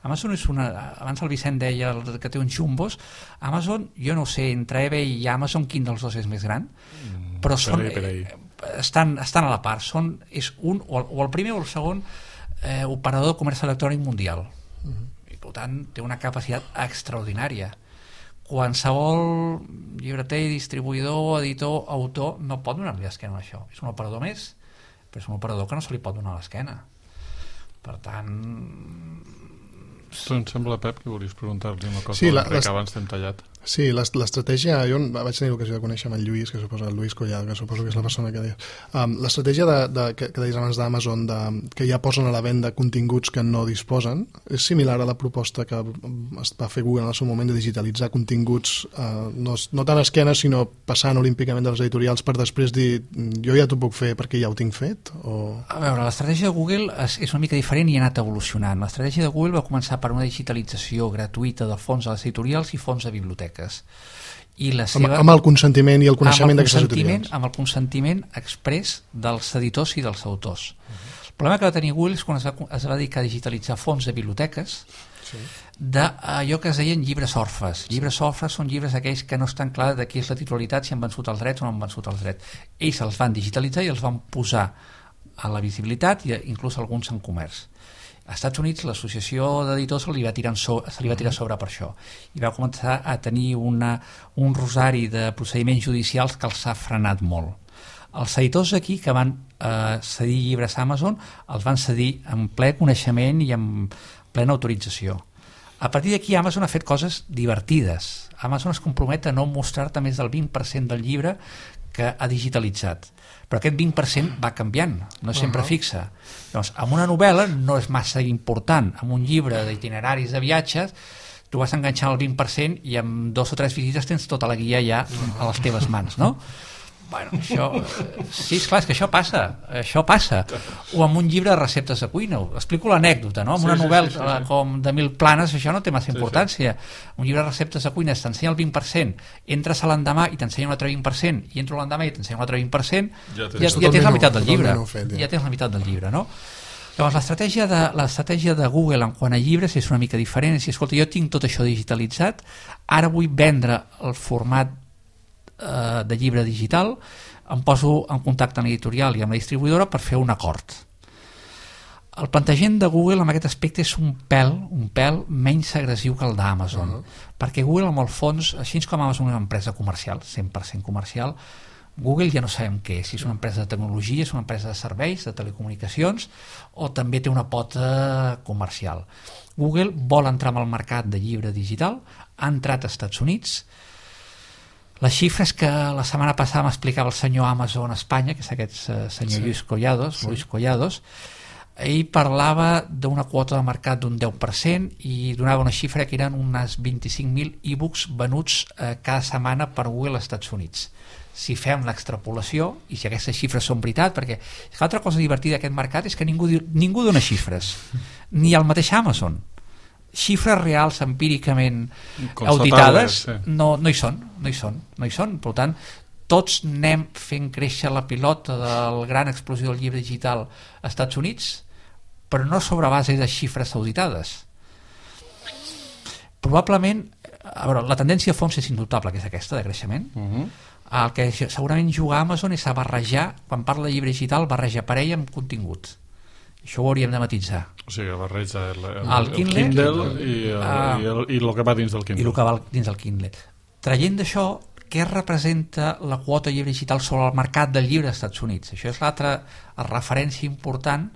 Amazon és abans el Vicent deia que té uns jumbos. Amazon, jo no sé, entre eBay i Amazon quin dels dos és més gran, però estan a la part, és un o el primer o el segon operador de comerç electrònic mundial, i per tant té una capacitat extraordinària. Qualsevol llibreter, distribuïdor, editor, autor no pot donar-li l'esquena a això. És un operador més, però és un operador que no se li pot donar l'esquena. Per tant... Em sembla, Pep, que volies preguntar-li una cosa que abans t'hem tallat. Sí, l'estratègia, jo vaig tenir l'ocasió de conèixer amb el Lluís, que suposa el Lluís Collado, que suposo que és la persona que deies. L'estratègia que deies abans d'Amazon, que ja posen a la venda continguts que no disposen, és similar a la proposta que es va fer Google en el seu moment de digitalitzar continguts, no tant a esquena, sinó passant olímpicament de les editorials per després dir, jo ja t'ho puc fer perquè ja ho tinc fet? A veure, l'estratègia de Google és una mica diferent i ha anat evolucionant. L'estratègia de Google va començar per una digitalització gratuïta de fons de les editorials i fons de biblioteques. I la seva, amb el consentiment i el coneixement d'aquestes editorials. Amb el consentiment exprés dels editors i dels autors. El problema que va tenir Google és quan es va dedicar a digitalitzar fons de biblioteques d'allò que es deien llibres orfes. Llibres orfes són llibres aquells que no estan clar de qui és la titularitat, si han vençut els drets o no han vençut els drets. Ells els van digitalitzar i els van posar a la visibilitat i inclús alguns en comerç. Als Estats Units l'associació d'editors se li va tirar sobre per això i va començar a tenir un rosari de procediments judicials que els ha frenat molt. Els editors aquí que van cedir llibres a Amazon els van cedir en ple coneixement i en plena autorització. A partir d'aquí Amazon ha fet coses divertides. Amazon es compromet a no mostrar-te més del 20% del llibre que ha digitalitzat, però aquest 20% va canviant, no és sempre fixa. Llavors, amb una novel·la no és massa important, amb un llibre d'itineraris de viatges tu vas enganxar el 20% i amb 2 o 3 visites tens tota la guia ja a les teves mans, no? Bueno, això... Sí, esclar, és que això passa. O amb un llibre de receptes de cuina. Explico l'anècdota, no? Amb una novel·la com de 1000 planes, això no té massa importància. Un llibre de receptes de cuina t'ensenya el 20%, entres a l'endemà i t'ensenya un altre 20%, i entro l'endemà i t'ensenya un altre 20%, ja tens la meitat del llibre. Ja tens la meitat del llibre, no? Llavors, l'estratègia de Google en quant a llibres és una mica diferent. És dir, escolta, jo tinc tot això digitalitzat, ara vull vendre el format de llibre digital, em poso en contacte amb l'editorial i amb la distribuïdora per fer un acord. El plantejament de Google en aquest aspecte és un pèl menys agressiu que el d'Amazon, perquè Google, en el fons, així com Amazon és una empresa comercial, 100% comercial, Google ja no sabem què és, si és una empresa de tecnologia, és una empresa de serveis, de telecomunicacions, o també té una pota comercial. Google vol entrar en el mercat de llibre digital, ha entrat als Estats Units. Les xifres que la setmana passada m'explicava el senyor Amazon Espanya, que és aquest senyor Luis Collados, ell parlava d'una quota de mercat d'un 10% i donava una xifra que eren unes 25.000 e-books venuts cada setmana per Google als Estats Units. Si fem l'extrapolació, i si aquestes xifres són veritat, perquè l'altra cosa divertida d'aquest mercat és que ningú dona xifres, ni el mateix Amazon. Xifres reals empíricament auditades no hi són. Per tant, tots anem fent créixer la pilota del gran explosió del llibre digital als Estats Units, però no sobre base de xifres auditades. Probablement, a veure, la tendència a fons és indubtable, que és aquesta, de creixement. El que segurament juga Amazon és a barrejar, quan parla de llibre digital, barreja parella amb contingut. Això ho hauríem de matisar. O sigui, barreja el Kindle i el que va dins del Kindle. I el que va dins del Kindle. Traient d'això, què representa la quota llibre digital sobre el mercat del llibre als Estats Units? Això és l'altra referència important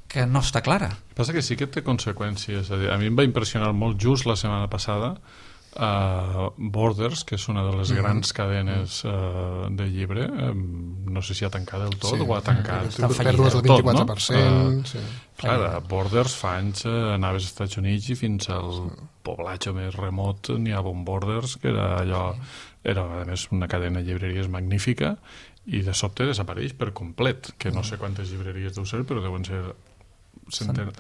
que no està clara. Passa que sí que té conseqüències. A mi em va impressionar molt just la setmana passada Borders, que és una de les grans cadenes de llibre, no sé si ha tancat del tot o ha tancat pèrdues del 24%. Clar, Borders fa anys anaves als Estats Units i fins al poblatge més remot n'hi havia un Borders que era allò, era a més una cadena de llibreries magnífica, i de sobte desapareix per complet, que no sé quantes llibreries deu ser, però deuen ser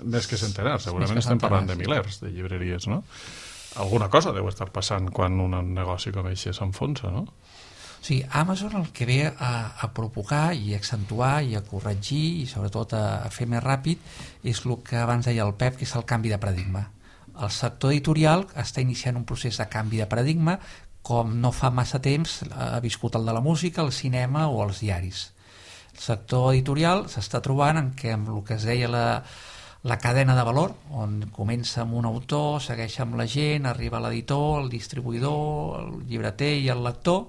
més que centenars, segurament estem parlant de milers de llibreries, no? Alguna cosa deu estar passant quan un negoci com aquest s'enfonsa, no? Sí, Amazon el que ve a provocar i a accentuar i a corregir i sobretot a fer més ràpid és el que abans deia el Pep, que és el canvi de paradigma. El sector editorial està iniciant un procés de canvi de paradigma com no fa massa temps ha viscut el de la música, el cinema o els diaris. El sector editorial s'està trobant en què amb el que es deia la cadena de valor, on comença amb un autor, segueix amb la gent, arriba l'editor, el distribuïdor, el llibreter i el lector,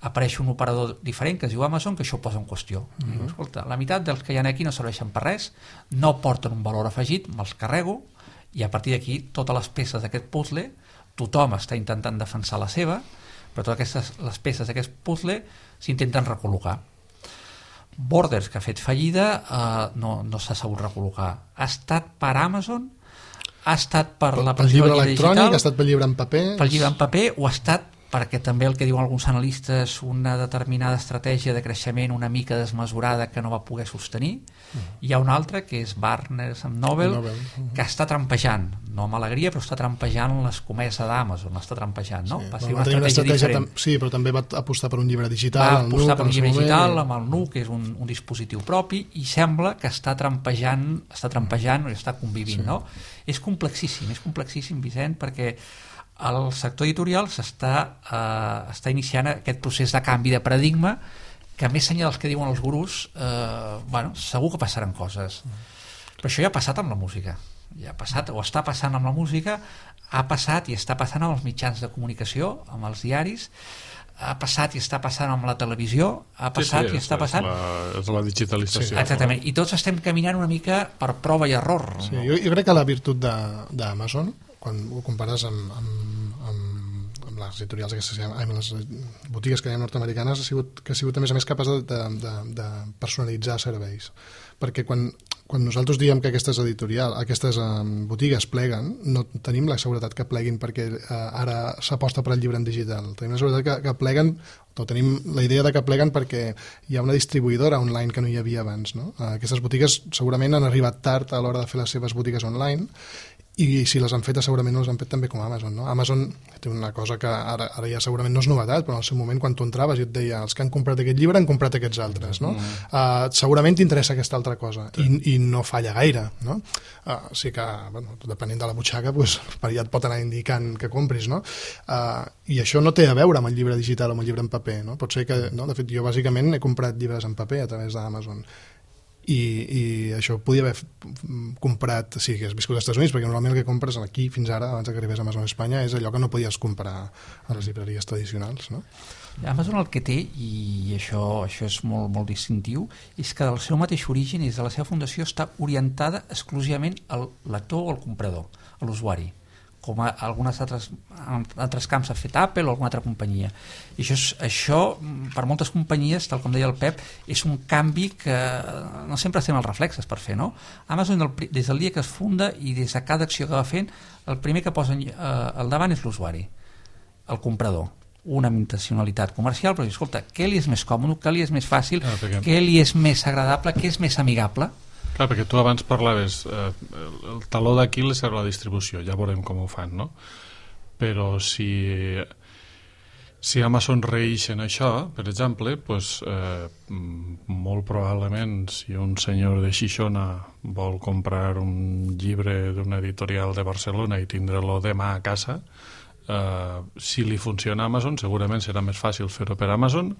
apareix un operador diferent que es diu Amazon, que això ho posa en qüestió. Diu, escolta, la meitat dels que hi ha aquí no serveixen per res, no porten un valor afegit, me'ls carrego, i a partir d'aquí totes les peces d'aquest puzzle, tothom està intentant defensar la seva, però totes les peces d'aquest puzzle s'intenten recol·locar. Borders, que ha fet fallida, no s'ha sabut recol·locar. Ha estat per Amazon, ha estat per la pel llibre electrònic, ha estat pel llibre en paper, o ha estat perquè també el que diuen alguns analistes, una determinada estratègia de creixement una mica desmesurada que no va poder sostenir. Hi ha una altra que és Barnes & Noble, que està trampejant, no amb alegria, però està trampejant l'escomesa d'Amazon, està trampejant, no? Va ser una estratègia diferent. Sí, però també va apostar per un llibre digital. Va apostar per un llibre digital amb el NUC, que és un dispositiu propi, i sembla que està trampejant o està convivint, no? És complexíssim, Vicent, perquè el sector editorial està iniciant aquest procés de canvi de paradigma que, més enllà dels que diuen els gurús, segur que passaran coses. Però això ja ha passat amb la música. Ja ha passat, o està passant amb la música, ha passat i està passant amb els mitjans de comunicació, amb els diaris, ha passat i està passant amb la televisió, ha passat i està passant... És la digitalització. Sí, exactament, i tots estem caminant una mica per prova i error. Sí, jo crec que la virtut d'Amazon, quan ho compares amb les editorials amb les botigues que hi ha nord-americanes, ha sigut a més capaç de personalitzar serveis, perquè quan nosaltres diem que aquestes botigues pleguen, no tenim la seguretat que pleguin perquè ara s'aposta per al llibre en digital, tenim la seguretat que pleguen, o tenim la idea de que pleguen perquè hi ha una distribuïdora online que no hi havia abans, no? Aquestes botigues segurament han arribat tard a l'hora de fer les seves botigues online, i si les han fetes segurament no les han fet també com Amazon, no? Amazon té una cosa que ara ja segurament no és novetat, però en el seu moment quan tu entraves i et deia els que han comprat aquest llibre han comprat aquests altres, no? Segurament t'interessa aquesta altra cosa, i no falla gaire, no? Sí que, depenent de la butxaca, per allà et pot anar indicant que compris, no? I això no té a veure amb el llibre digital o amb el llibre en paper, no? Pot ser que, no? De fet, jo bàsicament he comprat llibres en paper a través d'Amazon, i això podia haver comprat, sí, que has viscut als Estats Units, perquè normalment el que compres aquí fins ara, abans que arribés a Amazon a Espanya, és allò que no podies comprar a les llibreries tradicionals, no? Amazon el que té, i això és molt, molt distintiu, és que del seu mateix origen i de la seva fundació està orientada exclusivament al lector o al comprador, a l'usuari, com a alguns altres camps ha fet Apple o alguna altra companyia. I això per moltes companyies, tal com deia el Pep, és un canvi que no sempre estem als reflexes per fer, no? Amazon, des del dia que es funda i des de cada acció que va fent, el primer que posa al davant és l'usuari, el comprador. Una intencionalitat comercial, però escolta, què li és més còmode, què li és més fàcil, què li és més agradable, què és més amigable? Clar, perquè tu abans parlaves, el taló d'Aquil és la distribució, ja veurem com ho fan, no? Però si Amazon reeix en això, per exemple, doncs, molt probablement si un senyor de Xixona vol comprar un llibre d'una editorial de Barcelona i tindre-lo demà a casa, si li funciona Amazon segurament serà més fàcil fer-ho per Amazon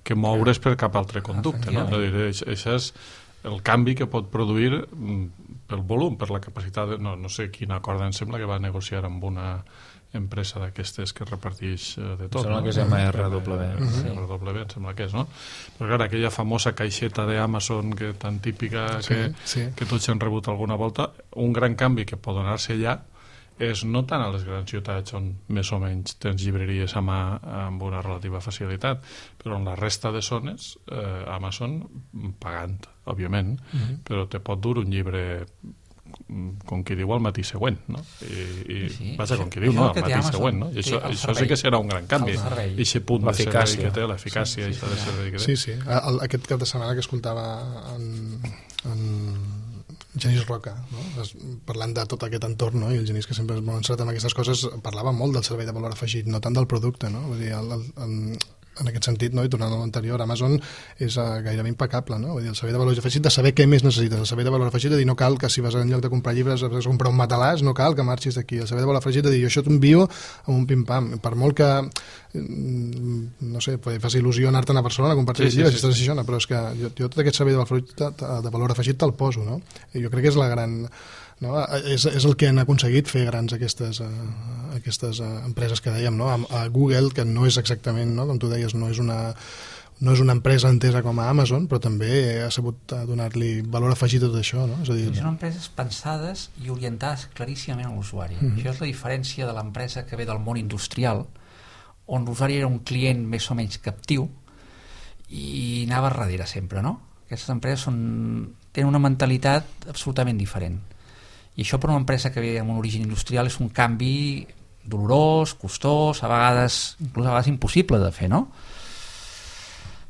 que moure's per cap altre conducte, no? Això és el canvi que pot produir pel volum, per la capacitat no sé quina corda em sembla que va negociar amb una empresa d'aquestes que reparteix de tot. Sembla que és MRW. MRW em sembla que és, no? Però clar, aquella famosa caixeta d'Amazon tan típica que tots han rebut alguna volta, un gran canvi que pot donar-se allà és no tant a les grans ciutats on més o menys tens llibreries a mà amb una relativa facilitat, però en la resta de zones Amazon pagant, òbviament, però te pot dur un llibre com qui diu al matí següent, no? Vaja, com qui diu, no, al matí següent, no? I això sí que serà un gran canvi, aquest punt de servei que té, l'eficàcia de servei que té. Sí. Aquest cap de setmana que escoltava en Genís Roca, no? Parlant de tot aquest entorn, no? I el Genís, que sempre és molt encetat amb aquestes coses, parlava molt del servei de valor afegit, no tant del producte, no? Vull dir, en aquest sentit, no? I tornant a l'anterior, Amazon és gairebé impecable, no? Vull dir, el servei de valor afegit de saber què més necessites, el servei de valor afegit de dir no cal que si vas en lloc de comprar llibres has de comprar un matalàs, no cal que marxis d'aquí, el servei de valor afegit de dir jo això t'envio amb un pim-pam, per molt que no sé, fas il·lusió anar-te'n a Barcelona a comprar llibres si estàs a Xixona, però és que jo tot aquest servei de valor afegit te'l poso, no? I jo crec que és la gran... No? És el que han aconseguit fer grans aquestes empreses que dèiem, no? A Google, que no és exactament, no? Com tu deies, no és una empresa entesa com a Amazon, però també ha sabut donar-li valor afegit a tot això, no? És a dir, són empreses pensades i orientades claríssimament a l'usuari. Això és la diferència de l'empresa que ve del món industrial, on l'usuari era un client més o menys captiu i anava darrere sempre, no? Aquestes empreses tenen una mentalitat absolutament diferent. I això per una empresa que ve amb un origen industrial és un canvi dolorós, costós, a vegades impossible de fer, no?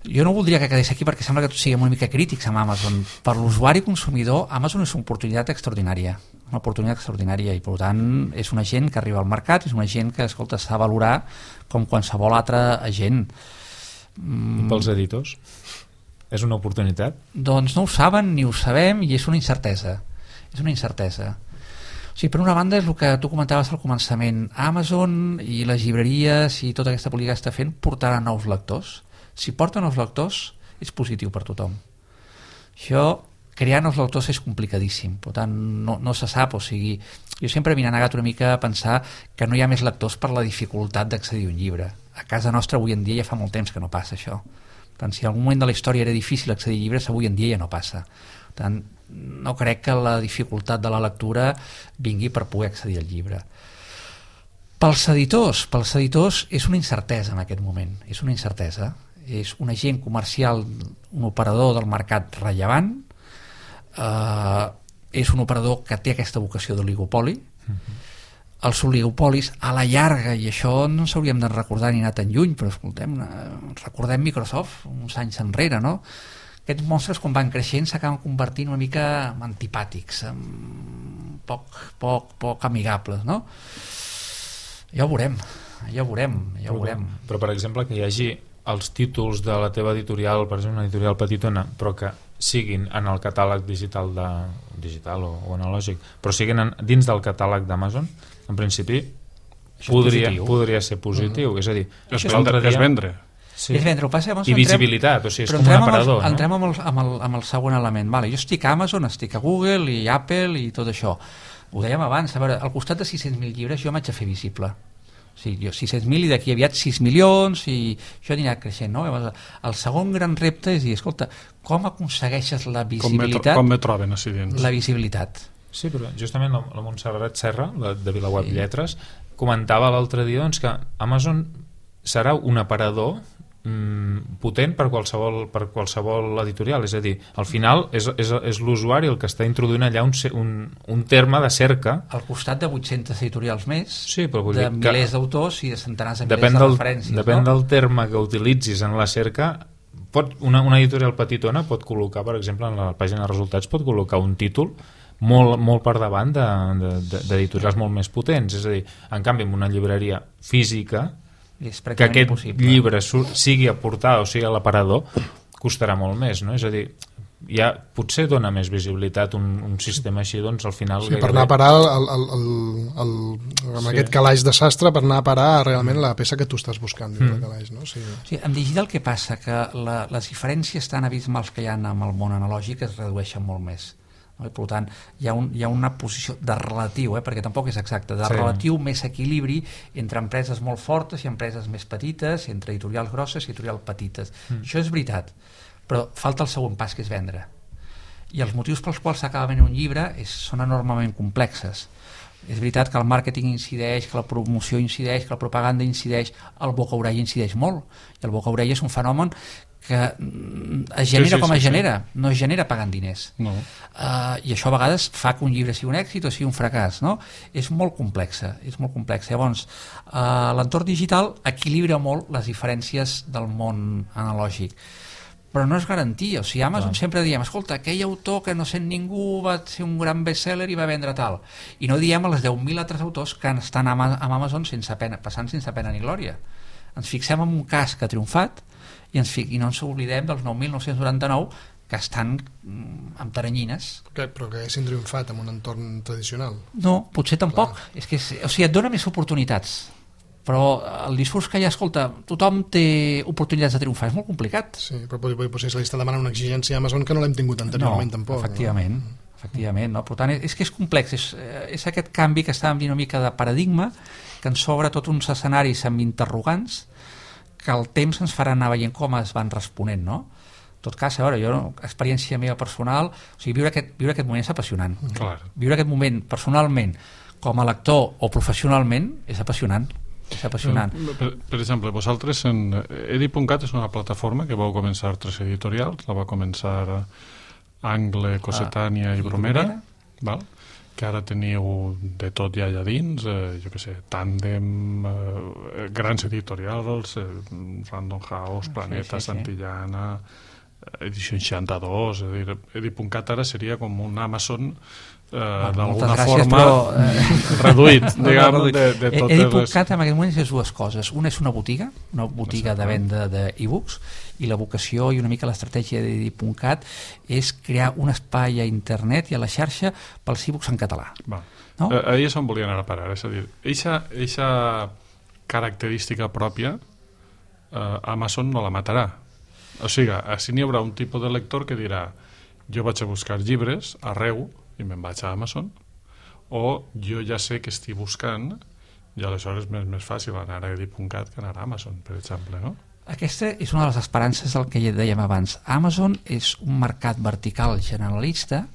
Jo no voldria que quedés aquí perquè sembla que tots siguem una mica crítics amb Amazon. Per l'usuari consumidor, Amazon és una oportunitat extraordinària, i per tant és una gent que arriba al mercat, és una gent que, escolta, s'ha de valorar com qualsevol altre agent. I pels editors? És una oportunitat? Doncs no ho saben ni ho sabem i és una incertesa. O sigui, per una banda és el que tu comentaves al començament, Amazon i les llibreries i tota aquesta política que està fent portarà nous lectors. Si porta nous lectors és positiu per tothom. Això, crear nous lectors és complicadíssim, per tant no se sap, o sigui, jo sempre m'he negat una mica a pensar que no hi ha més lectors per la dificultat d'accedir a un llibre. A casa nostra avui en dia ja fa molt temps que no passa això. Per tant, si en algun moment de la història era difícil accedir a llibres, avui en dia ja no passa. Per tant, no crec que la dificultat de la lectura vingui per poder accedir al llibre. Pels editors és una incertesa en aquest moment, és una incertesa, és un agent comercial, un operador del mercat rellevant, és un operador que té aquesta vocació d'oligopoli. Els oligopolis a la llarga, i això no s'hauríem de recordar ni anar tan lluny, però escoltem, recordem Microsoft uns anys enrere, no? Aquests monstres quan van creixent s'acaben convertint una mica en antipàtics, en poc amigables, no? Ja ho veurem. Però per exemple que hi hagi els títols de la teva editorial, per exemple una editorial petitona, però que siguin en el catàleg digital o analògic, però siguin dins del catàleg d'Amazon, en principi podria ser positiu. És a dir, és vendre. Sí. És vendre, I visibilitat, o sigui, és com un aparador. No? Entrem amb el següent element. Vale, jo estic a Amazon, estic a Google i Apple i tot això. Ho dèiem abans, a veure, al costat de 600.000 llibres jo m'haig de fer visible. O sigui, jo 600.000 i d'aquí aviat 6 milions i això anirà creixent, no? El segon gran repte és dir, escolta, com aconsegueixes la visibilitat? Com me troben així dins? La visibilitat. Sí, però justament la Montserrat Serra, de VilaWeb Lletres, comentava l'altre dia doncs, que Amazon serà un aparador potent per qualsevol editorial, és a dir, al final és l'usuari el que està introduint allà un terme de cerca al costat de 800 editorials més, sí, però de milers d'autors i de centenars de milers de referències. Depèn del terme que utilitzis en la cerca. Una editorial petitona pot col·locar, per exemple, en la pàgina de resultats pot col·locar un títol molt per davant d'editorials molt més potents, és a dir, en canvi en una llibreria física que aquest llibre sigui a portada o sigui a l'aparador costarà molt més, no? És a dir, ja potser dona més visibilitat un sistema així, doncs al final sí, per anar a parar amb aquest calaix de sastre, per anar a parar realment la peça que tu estàs buscant dins del calaix, no? Sí, en digital què passa? Que les diferències tan abismals que hi ha amb el món analògic es redueixen molt més. I per tant hi ha una posició de relatiu, perquè tampoc és exacte, de relatiu més equilibri entre empreses molt fortes i empreses més petites, entre editorials grosses i editorials petites. Això és veritat, però falta el segon pas, que és vendre, i els motius pels quals s'acaba venent un llibre són enormement complexes. És veritat que el màrqueting incideix, que la promoció incideix, que la propaganda incideix, el boca-orella incideix molt, i el boca-orella és un fenomen que es genera com es genera, no es genera pagant diners, i això a vegades fa que un llibre sigui un èxit o sigui un fracàs, no? És molt complexa. Llavors l'entorn digital equilibra molt les diferències del món analògic, però no és garantia. O sigui, Amazon sempre diem, escolta, aquell autor que no sent ningú va ser un gran bestseller i va vendre tal, i no diem a les 10.000 altres autors que estan amb Amazon passant sense pena ni glòria. Ens fixem en un cas que ha triomfat i no ens oblidem dels 9.999 que estan amb taranyines. Però que haguessin triomfat en un entorn tradicional? No, potser tampoc. O sigui, et dona més oportunitats, però el discurs que hi ha, escolta, tothom té oportunitats de triomfar, és molt complicat. Sí, però potser se li està demanant una exigència a Amazon que no l'hem tingut anteriorment tampoc. Efectivament, no? Per tant, és que és complex, és aquest canvi que estàvem dient una mica de paradigma, que ens obre tots uns escenaris amb interrogants que el temps ens farà anar veient com es van responent, no? En tot cas, a veure, experiència meva personal, o sigui, viure aquest moment és apassionant. Clar. Viure aquest moment personalment, com a lector o professionalment, és apassionant. Per exemple, vosaltres Edi.cat és una plataforma que vau començar 3 editorials, la va començar Angle, Cossetània i Bromera, val? Que ara teniu de tot ja allà dins, jo què sé, Tàndem, grans editorials, Random House, Planeta, Santillana, Edició 62, és a dir, Edi.cat ara seria com un Amazon d'alguna forma reduït, diguem, de totes les... Edi.cat en aquest moment és 2 coses. Una és una botiga de venda d'e-books, i la vocació i una mica l'estratègia d'Edi.cat és crear un espai a internet i a la xarxa pels e-books en català. No? Ahir és on volia anar a parar, és a dir, eixa característica pròpia Amazon no la matarà. O sigui, així n'hi haurà un tipus de lector que dirà, jo vaig a buscar llibres arreu i me'n vaig a Amazon, o jo ja sé que estic buscant i aleshores és més fàcil anar a Edi.cat que anar a Amazon, per exemple, no? Aquesta és una de les esperances del que ja dèiem abans. Amazon és un mercat vertical generalista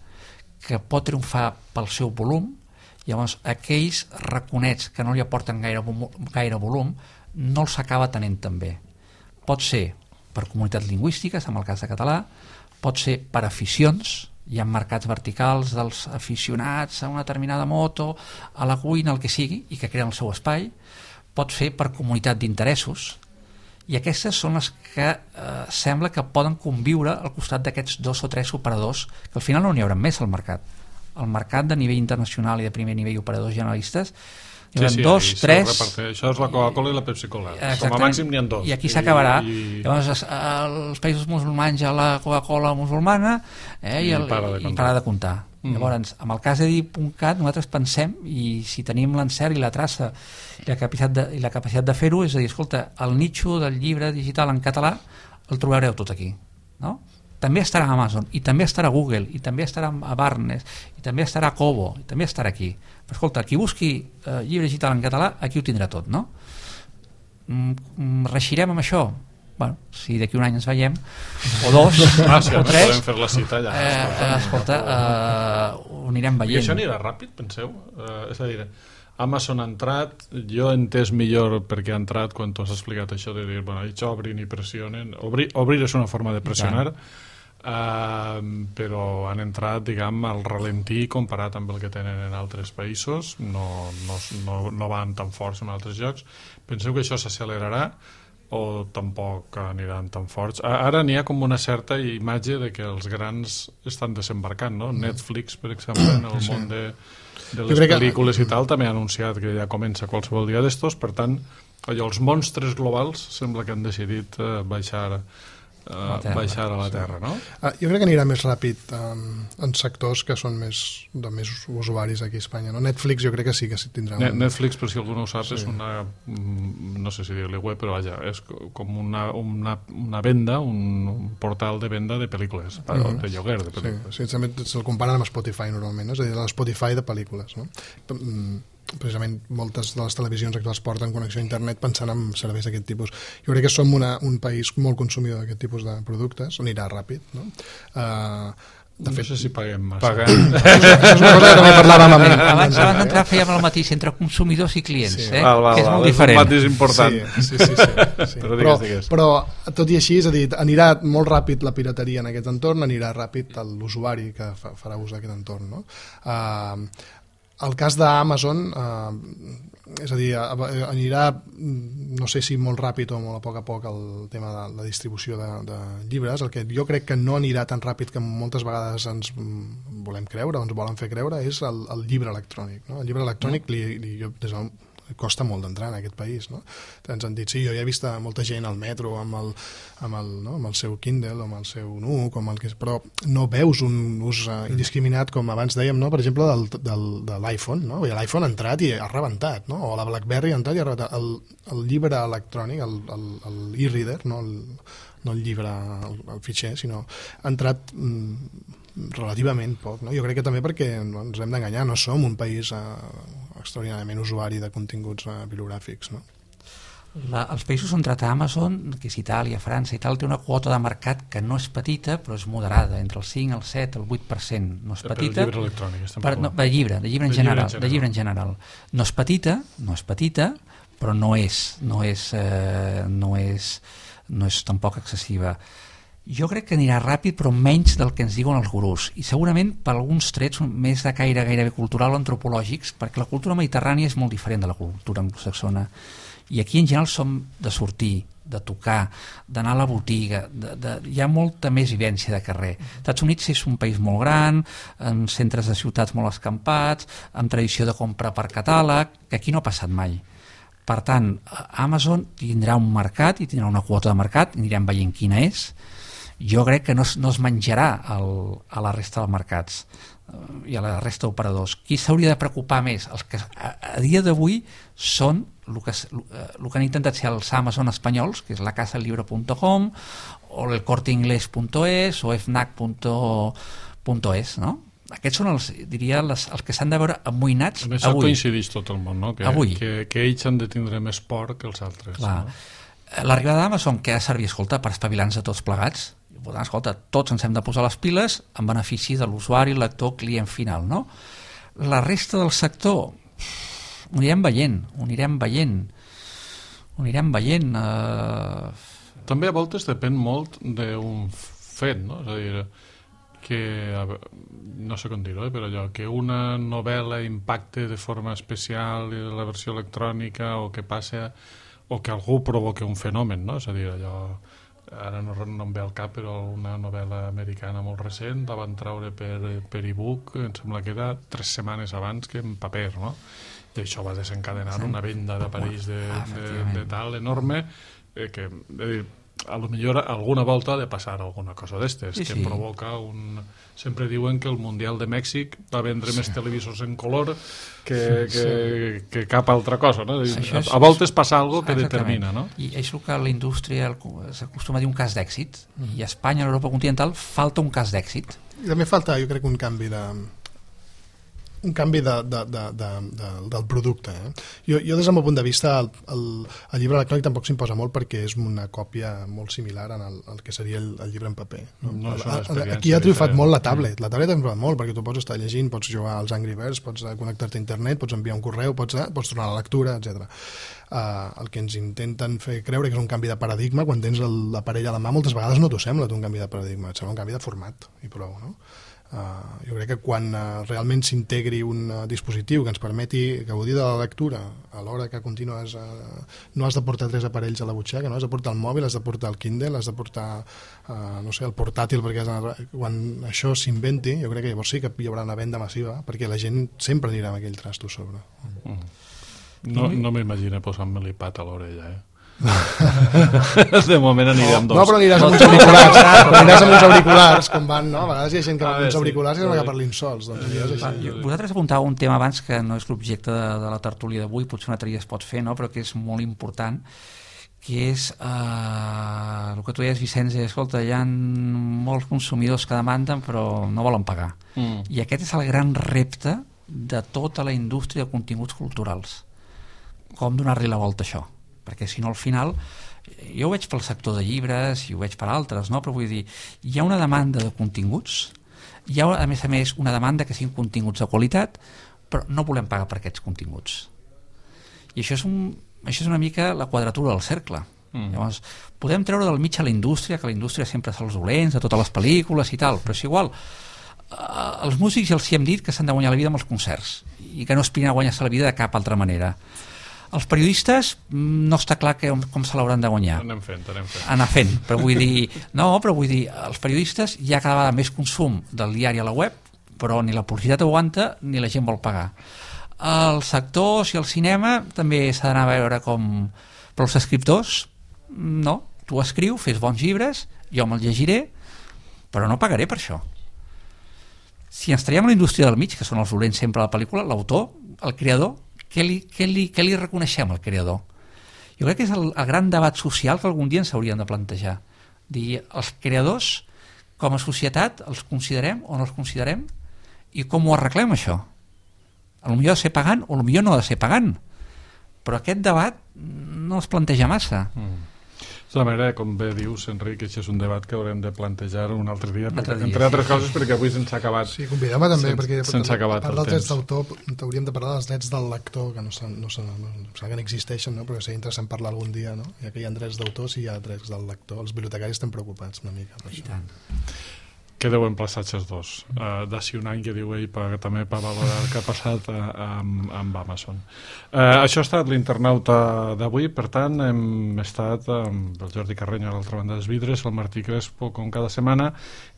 que pot triomfar pel seu volum, llavors aquells raconets que no li aporten gaire volum no els acaba tenint també. Pot ser per comunitats lingüístiques, en el cas de català, pot ser per aficions, hi ha mercats verticals dels aficionats a una determinada moto, a la cuina, el que sigui, i que creen el seu espai, pot ser per comunitat d'interessos, i aquestes són les que sembla que poden conviure al costat d'aquests 2 o 3 operadors, que al final no n'hi haurà més al mercat. El mercat de nivell internacional i de primer nivell operadors generalistes, hi haurà 2, 3... Això és la Coca-Cola i la Pepsi-Cola. Com a màxim n'hi ha 2. I aquí s'acabarà. Llavors, als països musulmans hi ha la Coca-Cola musulmana i para de comptar. Llavors, amb el cas d'Edip.cat nosaltres pensem, i si tenim l'encert i la traça i la capacitat de fer-ho, és a dir, escolta, el nicho del llibre digital en català el trobareu tot aquí, no? També estarà a Amazon, i també estarà a Google, i també estarà a Barnes, i també estarà a Kobo, i també estarà aquí. Però escolta, qui busqui llibre digital en català, aquí ho tindrà tot, no? Reixirem amb això? Bueno, si d'aquí un any ens veiem, o dos, o tres, podem fer la cita allà. Escolta, ho anirem veient. I això anirà ràpid, penseu? És a dir, Amazon ha entrat, jo he entès millor perquè ha entrat quan tu has explicat això de dir, bueno, ells obrin i pressionen. Obrir és una forma de pressionar, però han entrat, diguem, al ralentí comparat amb el que tenen en altres països, no van tan forts en altres llocs. Penseu que això s'accelerarà o tampoc aniran tan forts? Ara n'hi ha com una certa imatge de que els grans estan desembarcant, no? Netflix, per exemple, en el món de les pel·lícules i tal, també ha anunciat que ja comença qualsevol dia d'estos, per tant, allò, els monstres globals sembla que han decidit baixar a la Terra, no? Jo crec que anirà més ràpid en sectors que són de més usuaris aquí a Espanya, no? Netflix jo crec que sí que tindrà... Netflix, per si algú no ho sap, és una... no sé si dir-li web, però vaja, és com una venda, un portal de venda de pel·lícules, de lloguer de pel·lícules. Sí, també se'l comparen amb Spotify normalment, no? És a dir, l'Spotify de pel·lícules, no? Precisament moltes de les televisions actuals porten connexió a internet pensant en serveis d'aquest tipus. Jo crec que som un país molt consumidor d'aquest tipus de productes, on anirà ràpid, no? De fet, no sé si paguem massa. Això és una cosa que també parlàvem amb ell. Abans d'entrar fèiem el mateix entre consumidors i clients, que és molt diferent. És un mateix important. Sí. Però tot i així, és a dir, anirà molt ràpid la pirateria en aquest entorn, anirà ràpid l'usuari que farà ús d'aquest entorn, no? El cas d'Amazon, és a dir, anirà, no sé si molt ràpid o molt a poc el tema de la distribució de llibres. El que jo crec que no anirà tan ràpid que moltes vegades ens volem creure o ens volen fer creure és el llibre electrònic, no? El llibre electrònic costa molt d'entrar en aquest país, no? Ens han dit, sí, jo ja he vist molta gent al metro amb el seu Kindle o amb el seu Nook, però no veus un ús indiscriminat, com abans dèiem, no? Per exemple, de l'iPhone, no? L'iPhone ha entrat i ha rebentat, no? O la BlackBerry ha entrat i ha rebentat. El llibre electrònic, l'e-reader, no el llibre, el fitxer, sinó ha entrat relativament poc, no? Jo crec que també perquè no ens hem d'enganyar, no som un país extraordinàriament usuari de continguts bibliogràfics, no? Els països on trata Amazon, que és Itàlia, França i tal, té una quota de mercat que no és petita, però és moderada, entre el 5, el 7, el 8%. No és petita. Per llibre electrònic. De llibre en general. No és petita, però no és tampoc excessiva. Jo crec que anirà ràpid, però menys del que ens diuen els gurús, i segurament per alguns trets més de caire gairebé cultural o antropològics, perquè la cultura mediterrània és molt diferent de la cultura anglosaxona, i aquí en general som de sortir, de tocar, d'anar a la botiga, hi ha molta més vivència de carrer. Estats Units és un país molt gran, amb centres de ciutats molt escampats, amb tradició de compra per catàleg, que aquí no ha passat mai. Per tant, Amazon tindrà un mercat i tindrà una quota de mercat, anirem veient quina és. Jo crec que no es menjarà a la resta dels mercats i a la resta d'operadors. Qui s'hauria de preocupar més? Els que a dia d'avui són el que han intentat ser els Amazon espanyols, que és la casalibro.com o el corteinglés.es o fnac.es, no? Aquests són els que s'han de veure amoïnats avui. Amb això coincideix tot el món, no? Que ells han de tindre més por que els altres. Clar. No? L'arribada d'Amazon, que ha de servir, escolta, per espavilar-nos a tots plegats. Escolta, tots ens hem de posar les piles en benefici de l'usuari, lector, client final, no? La resta del sector ho anirem veient. També a voltes depèn molt d'un fet, no? És a dir, que, no sé com dir-ho, però allò, que una novel·la impacte de forma especial en la versió electrònica o que passa, o que algú provoca un fenomen, no? És a dir, allò, ara no em ve al cap, però una novel·la americana molt recent la van treure per e-book, em sembla que era 3 setmanes abans que en paper, no? I això va desencadenar una venda d'aparells de tal enorme, que a lo millor alguna volta ha de passar alguna cosa d'estes, Sí, que sí. provoca un... Sempre diuen que el Mundial de Mèxic va vendre més televisors en color que cap altra cosa, no? A voltes passa algo que determina, no? I és el que la indústria s'acostuma a dir un cas d'èxit, i a Espanya, a l'Europa continental, falta un cas d'èxit. I també falta, jo crec, un canvi del producte. Jo des del meu punt de vista, el llibre electrònic tampoc s'imposa molt perquè és una còpia molt similar al que seria el llibre en paper. No és una experiència aquí ha triomfat diferent. molt la tablet. La tablet ha triomfat molt perquè tu pots estar llegint, pots jugar als Angry Birds, pots connectar-te a internet, pots enviar un correu, pots tornar a la lectura, etc. El que ens intenten fer creure que és un canvi de paradigma, quan tens l'aparell a la mà, moltes vegades no t'ho sembla un canvi de paradigma, et sembla un canvi de format i prou, no? Jo crec que quan realment s'integri un dispositiu que ens permeti gaudir de la lectura a l'hora que continues no has de portar 3 aparells a la butxaca, no has de portar el mòbil, has de portar el Kindle, has de portar no sé, el portàtil, perquè quan això s'inventi jo crec que llavors sí que hi haurà una venda massiva perquè la gent sempre anirà amb aquell trasto a sobre. No m'imagino posant-me l'iPad a l'orella, De moment anirem dos. No, però aniràs amb uns auriculars. Aniràs amb uns auriculars, com van, no? A vegades hi ha gent que va amb uns auriculars i que parlin sols. Vosaltres apuntàveu un tema abans que no és l'objecte de la tertúlia d'avui, potser un altre dia es pot fer, no? Però que és molt important, que és el que tu deies, Vicenç, escolta, hi ha molts consumidors que demanden però no volen pagar. I aquest és el gran repte de tota la indústria de continguts culturals. Com donar-li la volta a això? Perquè si no al final, jo ho veig pel sector de llibres i ho veig per altres, no? Però vull dir, hi ha una demanda de continguts, hi ha a més una demanda que siguin continguts de qualitat, però no volem pagar per aquests continguts. I això és una mica la quadratura del cercle. Llavors, podem treure del mig a la indústria, que la indústria sempre és els dolents de totes les pel·lícules i tal, però és igual. Els músics ja els hi hem dit que s'han de guanyar la vida amb els concerts i que no aspirin a guanyar-se la vida de cap altra manera. Els periodistes no està clar com se l'hauran de guanyar. Anem fent. Anar fent, però vull dir, els periodistes hi ha cada vegada més consum del diari a la web, però ni la publicitat aguanta ni la gent vol pagar. Els sectors i el cinema també s'ha d'anar a veure com... Però els escriptors, no. Tu escriu, fes bons llibres, jo me'ls llegiré, però no pagaré per això. Si ens traiem a la indústria del mig, que són els dolents sempre a la pel·lícula, l'autor, el creador, què li reconeixem al creador? Jo crec que és el gran debat social que algun dia ens hauríem de plantejar. Dir, els creadors, com a societat, els considerem o no els considerem? I com ho arreglem, això? Potser ha de ser pagant o potser no ha de ser pagant. Però aquest debat no es planteja massa. De la manera, com bé dius, Enric, això és un debat que haurem de plantejar un altre dia, entre altres coses, perquè avui se'ns ha acabat. Sí, convidem-me també, perquè se'ns ha acabat el temps. Dels drets d'autor, hauríem de parlar dels drets del lector, que no existeixen, no? Però seria interessant parlar algun dia, no? Ja que hi ha drets d'autor, si hi ha drets del lector. Els bibliotecaris estan preocupats una mica per això. Quedeu emplaçats els dos. D'ací un any que diu ell també per valorar el que ha passat amb Amazon. Això ha estat l'internauta d'avui, per tant hem estat amb el Jordi Carreño a l'altra banda dels vidres, el Martí Crespo com cada setmana,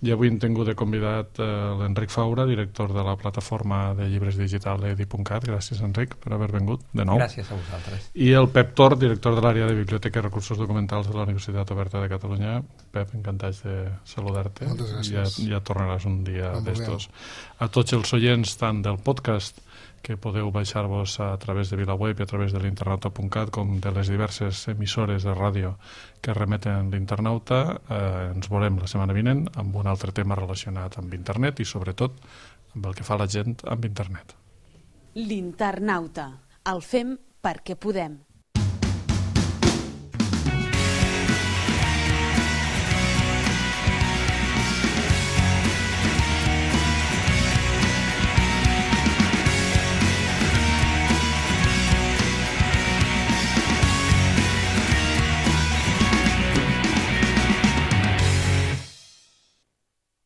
i avui hem tingut de convidat l'Enric Faura, director de la plataforma de llibres digital edi.cat. Gràcies, Enric, per haver vingut de nou. Gràcies a vosaltres. I el Pep Tor, director de l'àrea de Biblioteca i Recursos Documentals de la Universitat Oberta de Catalunya. Pep, encantats de saludar-te. Moltes gràcies. Ja tornaràs un dia d'estos. A tots els oients tant del podcast, que podeu baixar-vos a través de VilaWeb i a través de l'internauta.cat, com de les diverses emissores de ràdio que remeten l'internauta, ens veurem la setmana vinent amb un altre tema relacionat amb internet i sobretot amb el que fa la gent amb internet. L'internauta. El fem perquè podem.